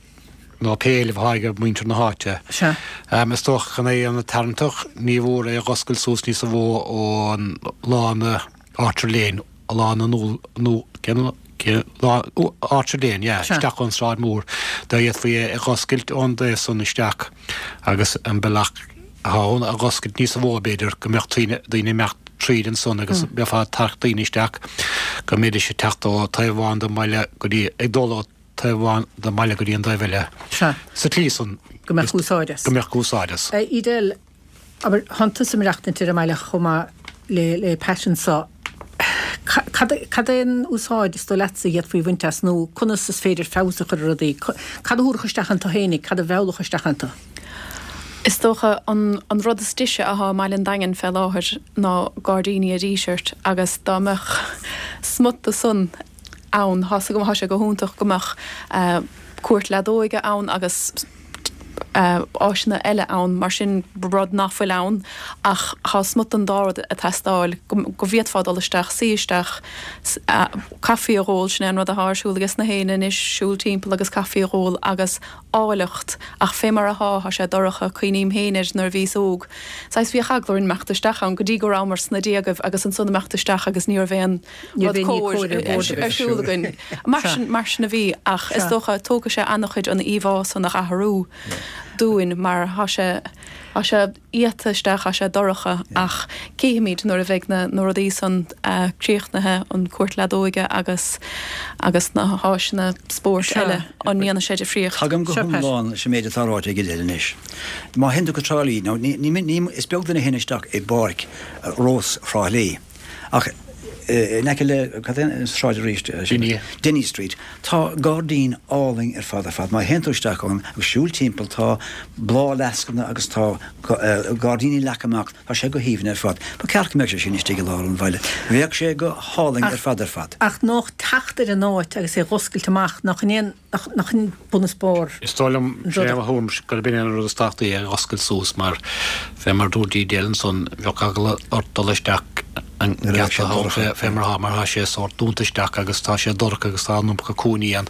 nó pé éileamh atá ag muintir na háite. Sea. Um, is dócha chun é an tarraingteach ní mhór é oscailt suas níos mó ón lána Archer Lane, a lána nó nó cén cén lá ó, Archer Lane, yeah, Sea. isteach ón Sráid Mhór. Dá fhéadfaí é a oscailt ón dtaobh san isteach agus an bealach atá ann a oscailt níos mó b'fhéidir go mbeadh daoine daoine imeacht tríd ansan agus bheifeá ag tarraingt daoine isteach go mbeidís ag teacht ó taobh amháin den mbaile go dtí ag dul ó taobh amháin den mbaile go dtí an taobh eile. Sea. Sa tslí san Go mbeadh úsáid as. Go mbeadh úsáid as. Eh, Edel, abair tánn tusa ag maireachtaint ar an mbaile chomh maith le le Pat anseo. Ca- Cad cad é an úsáid is dóigh leatsa a d'fhéadfaí a bhaint as nó conas is féidir feabhas a chur ar rudaí? Cad a thabharfadh isteach iontu féinig, cad a mheallfadh isteach iontu? Is dócha an, an rud is deise atá i mBaile an Daingin fé láthair ná gairdíní a Díseart agus dá mbeadh smut de san ann tá go tá sé go hiontach go mbeadh uh, cúirt leadóige ann agus uh, áiseanna eile ann mar sin rud nach bhfuil ann ach tá smut an dá rud ag teastáil go go bhféadfá dul isteach suí isteach s- uh, caife a ól sin an rud atá ar siúl agus na héinne anois siúl timpeall agus caife a ól agus áilleacht ach fé mar atá tá sé dorcha cuimhním féin air nuair a bhíos óg. Saghas bhí eagla orainn imeacht isteach ann go dtí go rabhamar sna déagaibh agus ansan imeacht isteach agus ní raibh aon Ní rud raibh aon cóir cóir ar bord ar siúl againn. Mar sin mar sin a bhí ach is Sea. dócha tógfaidh sé an-chuid an íomhá san a athrú dúinn mar tá sé tá sé iata isteach tá sé dorcha ach cífimid nuair a bheidh na na rudaí san uh, críochnaithe an cúirt leadóige agus agus na háiseanna spóirt Sea. eile an ndéanfaidh sé difríocht. Tagaim go Seo, Pat. hiomlán leis an méid atá ráite ag Edel anois. Má théann tú go Trá Lí, nó ní, ní, ní, is beag duine a théann isteach i bpáirc eh, Rós Thrá Lí. Ach eh, in aice le cad é an sráid arís? eh, sin- Dinny. Dinny Street. Tá gairdín álainn ar fad ar fad. Má théann tú isteach ann agus siúl timpeall tá bláthfhleascanna agus tá eh, gairdíní leagtha amach, tá sé go haoibhinn ar fad. Ba ceart go mbeadh sé sin istigh i lár an bhaile. Bheadh sé go hálainn ar fad ar fad. Ach nach teacht ar an áit agus é oscailt amach nach in nach nach in bunús barr. Is dóigh liom sé a thuairim gurb in an rud is tábhachtaí é oscailt suas mar fé mar dúirt Edel ansan bheadh eagla ort dul isteach an Nuair a bheadh sé geata dorcha. fé mar mar tá sé sórt dúnta isteach agus tá sé dorcha agus tá an iomarca cúinní ann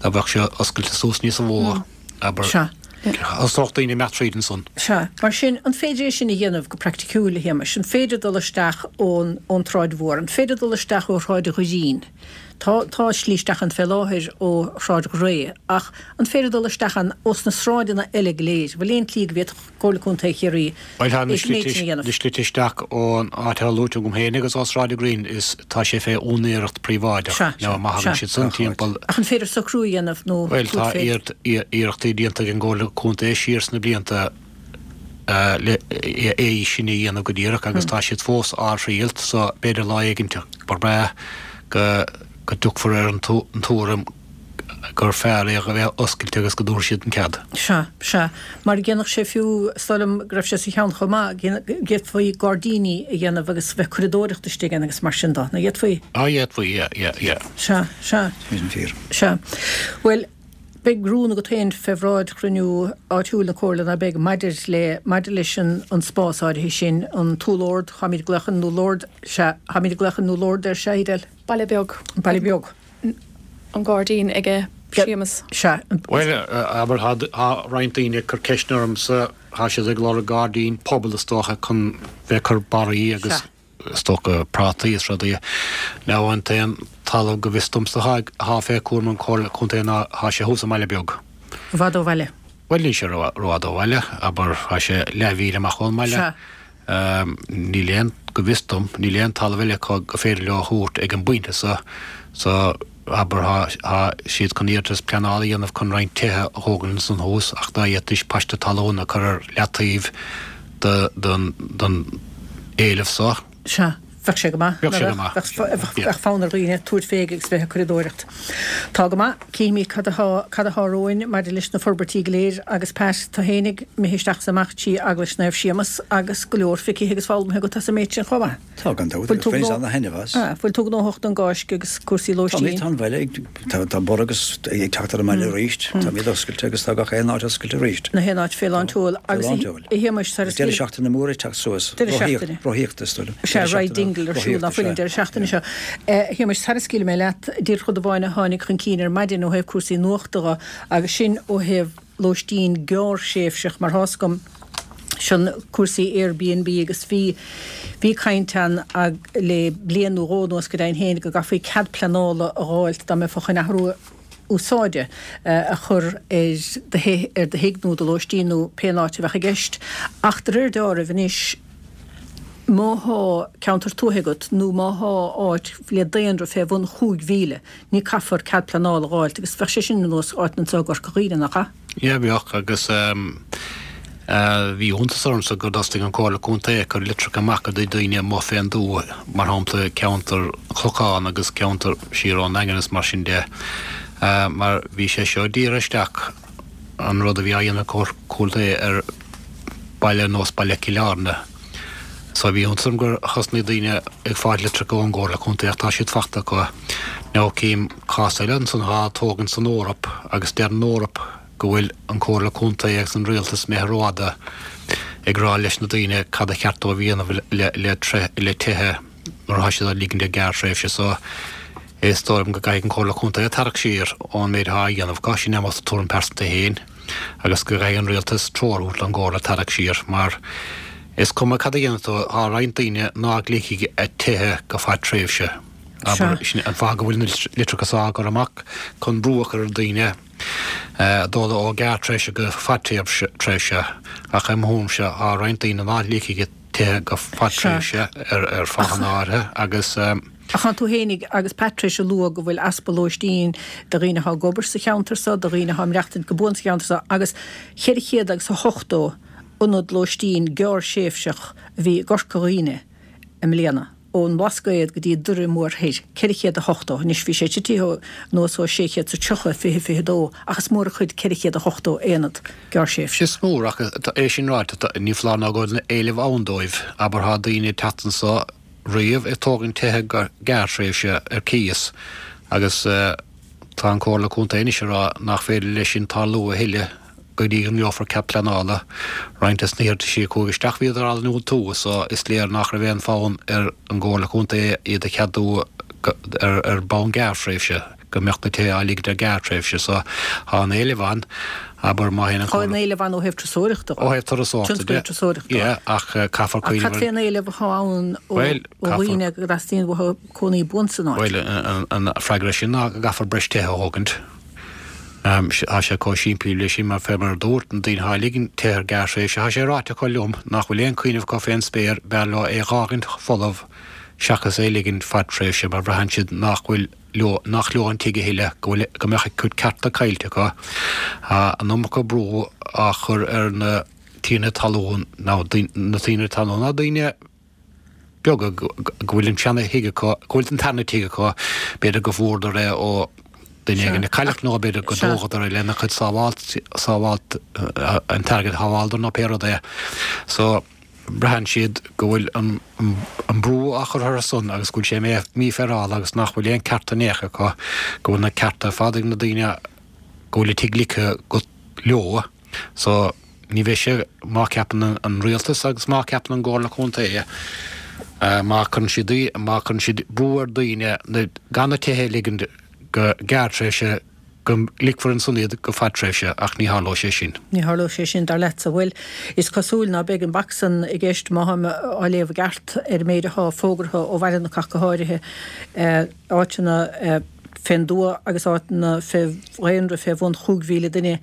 dá bheadh sé oscailte suas níos mó abair Sea. Thosódh daoine imeacht tríd ansan. Sea, mar sin an féidir é sin a dhéanamh go praiticiúil a Shéamais, an féidir dul isteach ón ón tSráid Mhór, an féidir dul isteach ó Shráid Ghreen. Tá tá slí isteach ann fé láthair ó Shráid Ghré, ach an féidir dul isteach ann ós na sráideanna eile go léir, bhfuil aon tslí go bhféadfadh Comhairle Contae Chiarraí Well tá na é sin méid sin a dhéanamh. slite isteach ón áit a luaigh tú féin agus ó Sráid Green is tá sé fé úinéireacht príobháideach Sea, nó má sea. thagann siad san timpeall Ach an féidir socrú a dhéanamh nó Well tá féidir? iarracht- iar- iarrachtaí déanta ag an gComhairle Contae siar sna blianta eh, le é é sin a dhéanamh go díreach agus tá siad fós á thriail so b'fhéidir lá éigin ba bhreá go go dtiocfar ar an tú- an tuairim gur fearr é a bheith oscailte agus go dtabharfaidh siad an cead. Sea, sea. Mar dhéanfadh sé fiú, is dóigh liom go raibh sé sa cheann chomh maith, d'fhéadfaí gairdíní a dhéanamh agus bheith curadóireacht istigh ann agus mar sin de, nach bhféadfaí? Á, d'fhéadfaí, yeah, yeah, yeah. Sea, sea. Sin fíor. Sea. Bhuel, beidh rún agat féin fé bhráid chruinniú áitiúil na Comhairle, ná beidh, maidir le, maidir leis an, an spás áirithe sin, an tÚll Ard, táimid ag glaoch an Úll Ard, sea, táimid ag glaoch an Úll Ard air, sea, Edel? Baile Beag. Baile Beag. An gairdín aige Séamus. Sea. Bhuel, abair, tá roinnt daoine ag cur ceisteanna ormsa, tá siad ag lorg gairdín pobail is dócha chun bheith ag cur barraí agus is dócha prátaí is rudaí. Now an t-aon talamh go bhfios domsa atá fé chúram an Chomhairle Contae ná tá sé thuas i mBaile Beag. I bhfad ó bhaile? Bhuel níl sé rófhada ó bhaile, abair tá sé leathmhíle amach ón mbaile. Sea. Níl aon, go bhfios dom, níl aon talamh eile acu go féidir leo a thabhairt ag an bpointe so, so abair tá siad chun iarratas pleanála a dhéanamh chun roinnt tithe a thógaint ansan thuas ach dá bhféadfaidís paiste talún a chur ar leataobh don don éileamh so. Sea. Bheadh sé go maith. Bheadh sé go maith. Bheadh fonn ar dhaoine tabhairt fé agus bheith ag curadóireacht. Tá go maith. Cífimid cad atá, cad atá romhainn maidir leis na forbairtí go léir agus Pat, tú fhéinig imithe isteach is amach trí Eaglais Naomh Séamus agus go leor feicthe agus foghlamtha agat as an méid sin chomh maith. Tá gan dabht agus baineann ana-thaitneamh as. Bhfuil tú gnóthach don gCáisc agus cúrsaí lóistín? Tá, tá an baile ag, tá, tá borradh agus ag teacht ar an mbaile arís. Táimid oscailte agus tá gach aon áit oscailte arís. Gach aon áit fé lán tseoil. Fé lán tseoil. Agus a Shéamais, tar Deireadh seachtaine mór ag teacht suas. Deireadh seachtaine. Rothaíocht, is dóigh liom. Sea, Ride Dingle ar siúl ná fuil an deireadh seachtaine seo. A Shéamais, sara scaoilfidh mé leat, díreach rud amháin a tháinig chun cinn ar maidin ó thaobh cúrsaí nuachta dho, agus sin ó thaobh lóistín gearrthréimhseach, mar tá's agam, sin cúrsaí Airbnb agus bhí bhí caint ann le bliain nó dhó anuas go deimhin féin go gcaithfí cead pleanála a dh'fháilt dá mbeifeá chun athrú úsáide a chur ar do ar do thigh nó do lóistín nó pén áit a bheadh i gceist. Ach de réir deáraimh anois má thá ceantar tuaithe agat nó má thá áit le daonra fé bhun chúig mhíle, ní caithfear cead pleanála a dh'fháilt agus bheadh sé sin ar nós áit anso i gCorca Dhuibhne, nach ea? Yeah, bheadh, agus bhí iontas ormsa gur thosaigh an Comhairle Contae ag cur litreacha amach go dtí daoine amuigh fén dtuath, mar shampla ceantar an Chlocháin agus ceantar siar ón nDaingean is mar sin de, mar bhí sé seo dírithe isteach, an rud a bhí á dhéanamh ag Comhairle Contae ar baile ar nós baile Chill Airne. So bhí iontas orm gur thosnaigh daoine ag fáil litreacha ón gComhairle Contae ach tá siad fachta acu. Now cím cás eile ansan atá á tógaint san Eoraip agus deir an Eoraip go bhfuil an Comhairle Contae agus an Rialtas imithe rófhada ag rá leis na daoine cad a cheart dóibh a dhéanamh le le tithe nuair atá siad á ligint ar gearrthréimhse. So is dóigh liom go gcaithfidh an Comhairle Contae tarrac siar ón méid atá á dhéanamh acu, sin é mo tuairim pearsanta féin, agus go gcaithfidh an Rialtas treoir a thabhairt don gComhairle tarrac siar mar is cuma cad a dhéanfaidh tú, tá roinnt daoine ná ligfidh a tithe go fadtréimhse. Abair, sin an fáth go bhfuil na litreacha seo á gcur amach, chun brú a chur ar dhaoine dul ó ghearrtréimhse go fadtréimhse, ach i mo thuairimse tá roinnt daoine ná ligfidh a tithe go fadtréimhse ar fáthanna áirithe agus. Ach tá tú fhéinig agus Pat tar éis a lua go bhfuil easpa lóistín do dhaoine atá ag obair sa cheantar seo, do dhaoine atá ag maireachtaint go buan sa cheantar seo agus cheithre chéad agus a hochtó ionad lóistín gearrthréimhseach a bhí i gCorca Dhuibhne i mbliana, ón mBlascaod go dtí Doire Mór Thoir, ceithre chéad a hochtó. Anois bhí sé titithe anuas ó sé chéad is a tríocha i fiche fiche dó, ach is mór an chuid ceithre chéad a hochtó aonad gearrthréimhseach. Is mór, ach é sin ráite, ní foláir ná go bhfuil éileamh ann dóibh. Abair tá daoine ag teacht anso riamh ag tógaint tithe go gearrthréimhse ar cíos agus tá an Comhairle Contae anois ag rá nach féidir leis sin tarlú a thuilleadh go dtí go ngeofar cead pleanála. Roinnt des na hiarrataisí a chuaigh isteach bhíodar á ndiúltú so is léir nach raibh aon fonn ar an gComhairle Contae iad a cheadú ar bonn gearrthréimhse, go mbeadh na tithe á ligint ar gearrthréimhse. So tá an éileamh ann, abair má théann an Tá an éileamh ann ó thaobh turasóireachta de. Ó thaobh turasóireachta de. Tionscal turasóireachta. Yeah, ach caithfear cuimhneamh ar. Ach cad fén éileamh atá ann ó dhaoine go dteastaíonn uathu cónaí buan san áit? Bhuel, an freagra sin ná go gcaithfear breis tithe a thógaint. Tá sé chomh simplí leis sin mar fé mar a dúirt, na daoine atá ag ligint tithe ar gearrthréimhse, tá sé ráite acu liom nach bhfuil aon chuimhneamh acu fén spéir, b'fhearr leo é dh'fhágaint folamh seachas é ligint fadtréimhse mar braitheann siad nach bhfuil leo, nach leo an tigh a thuilleadh, go bhfuil, go mbeadh a gcuid cearta caillte acu. Tá an iomarca brú á chur ar na tiarnaí talún, nó na tiarnaí talún, ná daoine beaga go bhfuil an seana thigh acu, go bhfuil an tarna tigh acu, b'fhéidir go bhfuaireadar é ó. duine éigin a cailleadh nó b'fhéidir go dtógadar é lena chuid sábháilt sábháilt an t-airgead a shábháladar nó pé rud é. So braitheann siad go bhfuil an an brú á chur orthu san agus go bhfuil sé mífhéarála agus nach bhfuil aon cearta in aon chor acu, go bhfuil na cearta ar fad ag na daoine go bhfuil a tigh ligthe go leo. So ní bheidh sé, má ceapann an rialtas agus má ceapann an gComhairle Contae, má cuireann siad, má cuireann siad brú ar daoine gan na tithe a ligean go gearrtréimhse, go ligfear ansan iad go fadtréimhse, ach ní tharlóidh sé sin. Ní tharlóidh sé sin, dar leatsa. Bhuel, is cosúil ná beidh an bac san i gceist, má tháim á léamh i gceart ar an méid athá fógartha ó Bhaile na ach go háirithe, áiteanna fén dtuath agus áiteanna fé dhaonra fé bhun chúig mhíle duine,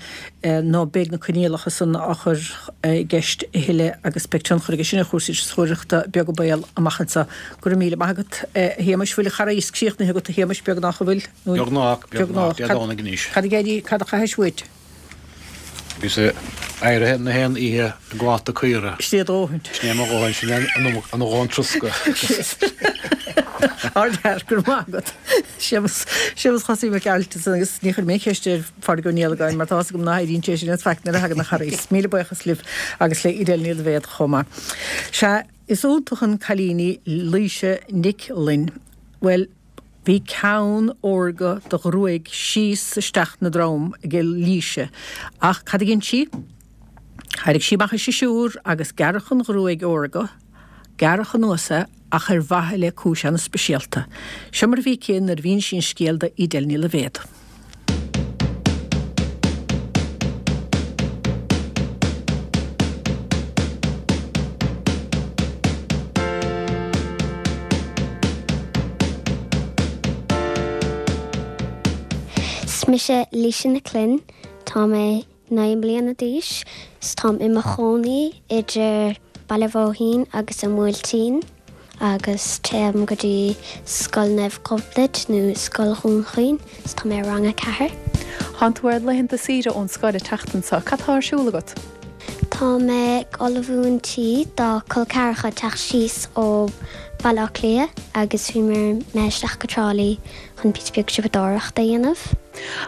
ná beidh na coinníollacha san á chur i gceist a thuilleadh agus beidh tionchar aige sin ar chúrsaí turasóireachta, beag an baol, amach anseo. Go raibh míle maith agat, a Shéamais. Bhfuil an Charghais críochnaithe agat, a Shéamais? Beagnach, an bhfuil? Beagnach, beagnach, Dé Domhnaigh anois. Cad a d'éirigh, cad a chaithis uait? Bhíos éirithe na haon oíche ag gabháil do caora. Sin é a dhóthain. Sin é mo dhóthain, sin é a dhóthain troscadh. Ardfhear, go raibh maith agat. Séamus, Séamus Chosaí Mac Gearailt ansan agus ní chuirfidh mé aon cheist ar Phádraig Ó Niallagáin mar tá fhios agam ná héiríonn sé sin as faic nuair a thagann an Charghas. Míle buíochas libh agus le Edel Ní Loibhéad chomh maith. Sea, is iontach an cailín í Laoise Nic Fhloinn. Bhuel, bhí ceann órga de ghruaig síos isteach 'na drom ag Laoise, ach cad a dhein sí? Thairrig sí amach a siosúr agus gearradh an ghruaig órga, gearradh anuas é ach ar mhaithe le cúis ana-speisialta. Seo mar a bhí aici nuair a mhínigh sí an scéal do Edel Ní Loibhéad. Is mise Laoise Nic Fhloinn, tá mé naoi mbliana d'aois 's táim i mo chónaí idir Baile Bhóithín agus an Bhuailtín agus téim go dtí Scoil Naomh Gobnait nó Scoil Dhún Chaoin 's tá mé i rang a ceathair. Tánn tú ar laethanta saoire ón scoil an tseachtain seo. Cad tá ar siúl agat? Tá mé ag ullmhú an tí do col ceathracha teacht síos ó Bhaile Átha Cliath agus bhí mé isteach go Trá Lí chun píosa beag siopadóireachta a dhéanamh.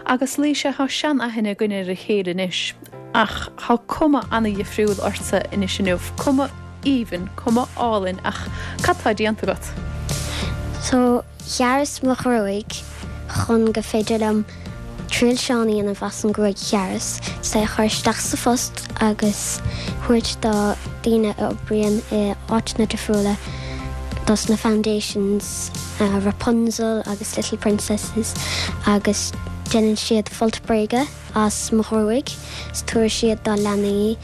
Agus Laoise, tá sean-aithne againn ar a chéile anois ach tá cuma ana-dhifriúil ortsa anois inniu, cuma aoibhinn, cuma álainn ach cad tá déanta agat? So, ghearras mo ghruaig chun go féidir liom trilseán a dhéanamh as an gruaig ghearras, is é a chur isteach sa phost agus thabhairt do daoine a oibríonn i áiteanna difriúla, dos na foundations, Rapunzel agus Little Princesses agus déanann siad folt bréige as mo ghruaig is tabharfaidh siad do leanaí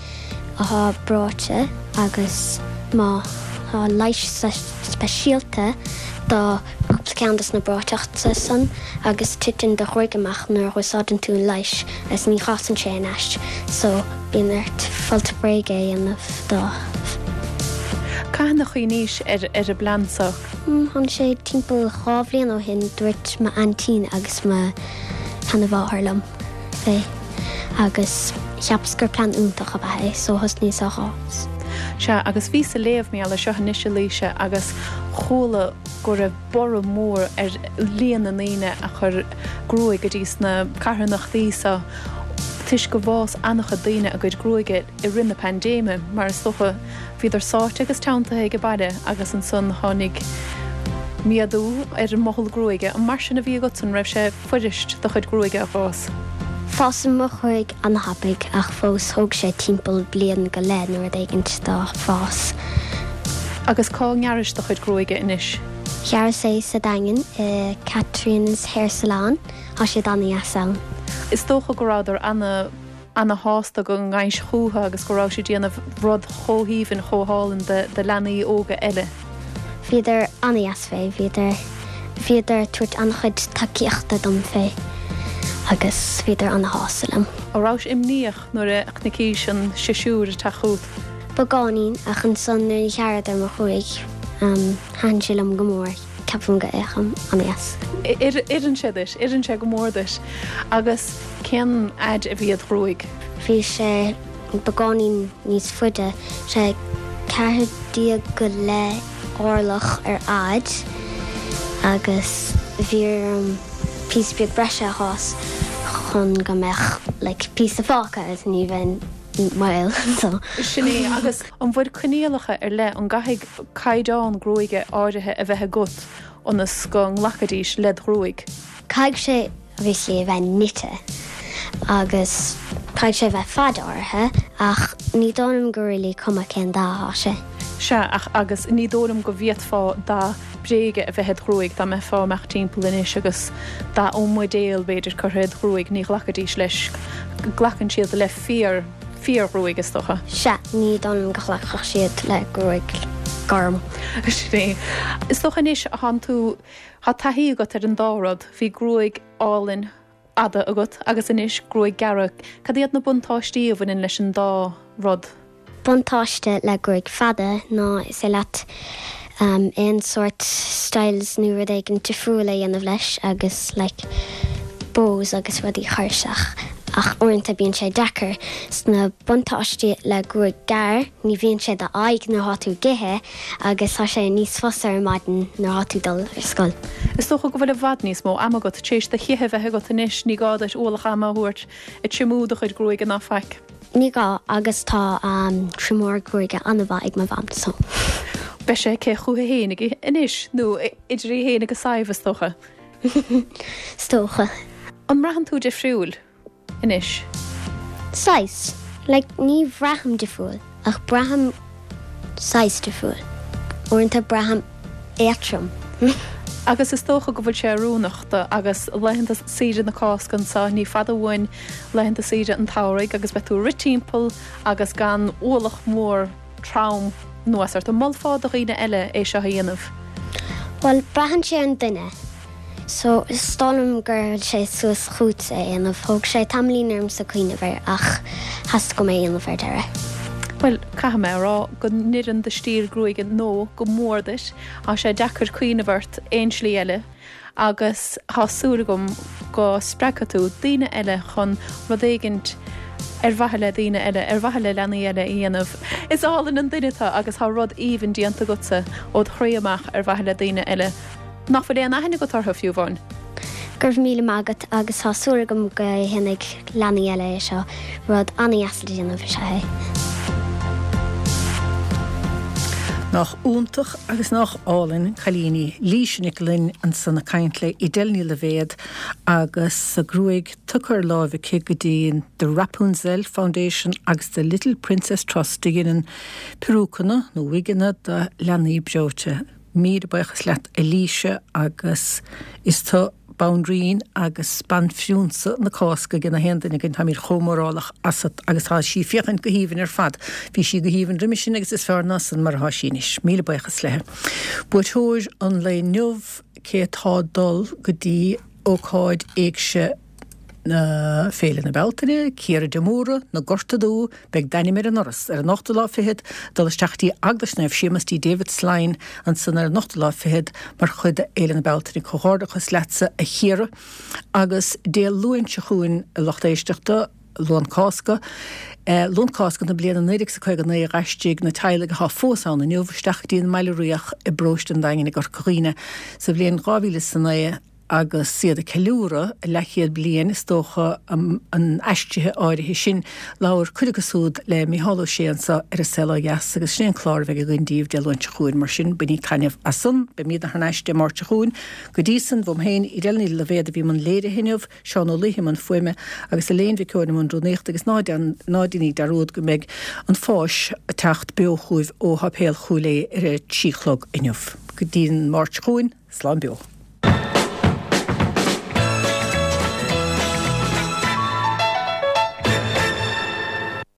atá breoite agus má tá leigheas speisialta do chúpla ceann dos na breoiteachta san agus titeann do ghruaig amach nuair a úsáideann tú an leigheas agus ní fhásann sé ar ais so bíonn ort folt bréige a dhéanamh dóibh. Cathain a chuimhnís ar ar an bplean seo? Tháinig sé timpeall dhá bhliain ó shin, dúirt m'aintín agus mo sheanamháthair liom fé agus cheapas gur plean iontach ab ea é so thosnaíos á dh'fhás. Sea, agus bhíos ag léamh mar gheall air seo anois a Laoise agus chuala go raibh borradh mór ar líon na ndaoine a chuir gruaig go dtí sna carthanachtaí seo toisc go bhfás an-chuid daoine a gcuid gruaige i rith na paindéime mar is dócha bhíodar sáite agus teanntaithe age baile agus ansan tháinig méadú ar an mothall gruaige. An mar sin a bhí agatsa, an raibh sé fuirist do chuid gruaige a fhás? Fásann mo ghruaig an-thapaidh ach fós thóg sé timpeall bliain go leith nó rud éigint dó fás. Agus cá ngearrais do chuid gruaige anois? Ghearras é sa Daingean i Caitríona's Hair Salon, tá siad an-dheas ann. Is dócha go rabhadar ana. ana-shásta go ngabhais chúthu agus go rabhais ag déanamh rud chomh haoibhinn, chomh hálainn do leanaí óga eile. Bhíodar an-dheas fé, bhíodar, bhíodar ag tabhairt an-chuid tacaíochta dom fé agus bhíodar ana-shásta liom. An rabhais imníoch nuair a chnaicís an siosúr ag teacht chugat? Beagáinín, ach ansan nuair a ghearradar mo ghruaig, thaitin sé liom go mór. Ceapaim go fhéachaim an-dheas. Oireann sé duit, oireann sé go mór duit. Agus cén fhaid a bhí id ghruaig? Bhí sé beagáinín níos faide, sé ceathair déag go leith orlach ar fhaid agus bhí orm píosa beag breise a shás chun go mbeadh like píosa fágtha agus ní bheinn maol so. Sin é agus an bhfuil coinníollacha ar leith an gcaithfidh caighdeán gruaige áirithe a bheith agat ionas go nglacfaidís led ghruaig? Caithfidh sé obviously a bheith nite agus caithfidh sé bheith fad áirithe ach ní dóigh liom gur really cuma cén dath atá sé. Sea, ach agus ní dóigh liom go bhféadfá dath bréige a bheith id ghruaig dá mbeifeá ag imeacht timpeall anois agus dath ón mbuidéal b'fhéidir curtha id ghruaig, ní ghlacfaidís leis. Glacann siad le fíor, fíorghruaig is dócha. Sea, ní dóigh liom go nglacfadh siad le gruaig gorm. Sin é. Is dócha anois thánn tú, tá taithí agat ar an dá rud, bhí gruaig álainn fhada agat agus anois gruaig gearra. Cad iad na buntáistí a bhaineann leis an dá rud? Buntáiste le gruaig fada ná is féidir leat um, aon sort styles nó rud éigin difriúil a dhéanamh leis agus like, bows agus rudaí a chur isteach. Ach uaireanta bíonn sé deacair sna buntáistí le gruaig gearr, ní bhíonn sé do aghaidh nuair atá tú ag ithe agus tá sé níos fusa ar maidin nuair atá tú dul ar scoil. Is dócha go bhfuil i bhfad níos mó ama agat tar éis do chith a bheith agat anois, ní gá duit ualach ama a thabhairt ag triomú do chuid gruaige ná faic. Ní gá agus tá um, triomóir gruaige an-mhaith ag mo mham so. Beidh sé aici chuici féin anois nó idir í féin agus Sadhbh is dócha. Is dócha. An mbraitheann tú difriúil anois? Saghas. Like, ní bhraithim difriúil, ach braithim saghas difriúil. Uaireanta braithim éatrom. Agus is dócha go bhfuil sé oiriúnach do agus laethanta saoire na Cásca anseo, ní fada uainn laethanta saoire an tsamhraidh agus beidh tú ag rith timpeall agus gan ualach mór trom anuas ort. An molfá do dhaoine eile é seo a dhéanamh? Bhuel, braitheann sé ar an duine. So is dóigh liom gur bhfuil sé suas chugat é a dhéanamh. Thóg sé tamaillín ormsa cuimhneamh air ach theastaigh uaim é a dhéanamh ar deireadh. Bhuel, caithfidh mé a rá go n-oireann do stíl gruaige nó go mór duit. Tá sé deacair cuimhneamh ort aon slí eile agus tá súil agam go spreagfaidh tú daoine eile chun rud éigint ar mhaithe le daoine eile, ar mhaithe le leanaí eile a dhéanamh. Is álainn an duine tú agus tá rud aoibhinn déanta agatsa ó do chroí amach ar mhaithe le daoine eile. Nach bhfuil aon aithne agat orthu fiú amháin. Go raibh míle maith agat agus tá súil agam go ndéanfaidh leanaí eile é seo rud an-deas le déanamh is ea é. Nach iontach agus nach álainn an cailín í Laoise Nic Fhloinn ansan ag caint le Edel Ní Loibhéad agus a gruaig tugtha ar láimh aici go dtí The Rapunzel Foundation agus The Little Princess Trust a dhéanann peiriúiceanna nó wigeanna do leanaí breoite. Míle buíochas leat a Laoise agus is tú banríon agus banphrionsa na Cásca ag na haon duine againn táimid chomh mórálach asat agus tá sí ag féachaint go haoibhinn ar fad. Bhí sí go haoibhinn roimhe sin agus is fearr ná san mar atá sí anois. Míle buíochas léi. Buaiteoir an lae inniu cé atá ag dul go dtí ócáid éigse na Féile na Bealtaine, Ciara de Mórdha, na Gorta Dubha, beidh d'ainm ar an ndoras ar an ochtú lá fichead, dul isteach dtí Eaglais Naomh Séamus dtí David Slyne ansan ar an ochtú lá fichead mar chuid de Fhéile na Bealtaine. Comhghairdeachas leatsa a Chiara agus Dé Luain seo chugainn a lucht éisteachta, Luan Cásca. Luan Cásca na bliana naoi déag is caoga naoi d'aistrigh na teaghlaigh atá fós ann inniu isteach go dtí an mBaile Riach i bparóiste an Daingin i gCorca Dhuibhne sa bhliain dhá mhíle is a naoi agus iad ag ceiliúradh a leathchéad bliain, is dócha, an aistrithe áirithe sin. Labhair cuid acu siúd le Mícheál Ó Sé anseo ar An Saol Ó Dheas agus sin é an clár a bheidh againn daoibh Dé Luain seo chugainn. Mar sin, bainigí taitneamh as san. Beimidne thar n-ais Dé Máirt seo chugainn. Go dtí san, uaim féin, Edel Ní Loibhéad a bhí i mbun léirithe inniu, Seán Ó Laoithe i mbun fuaime agus Elaine Mhic Eoin i mbun rúnaíochta agus ná ná déanaigí dearúd go mbeidh an Pháis ag teacht beo chugaibh ó Sháipéal Chúil Aodha ar a trí chlog inniu. Go dtí an Máirt seo chugainn, slán beo.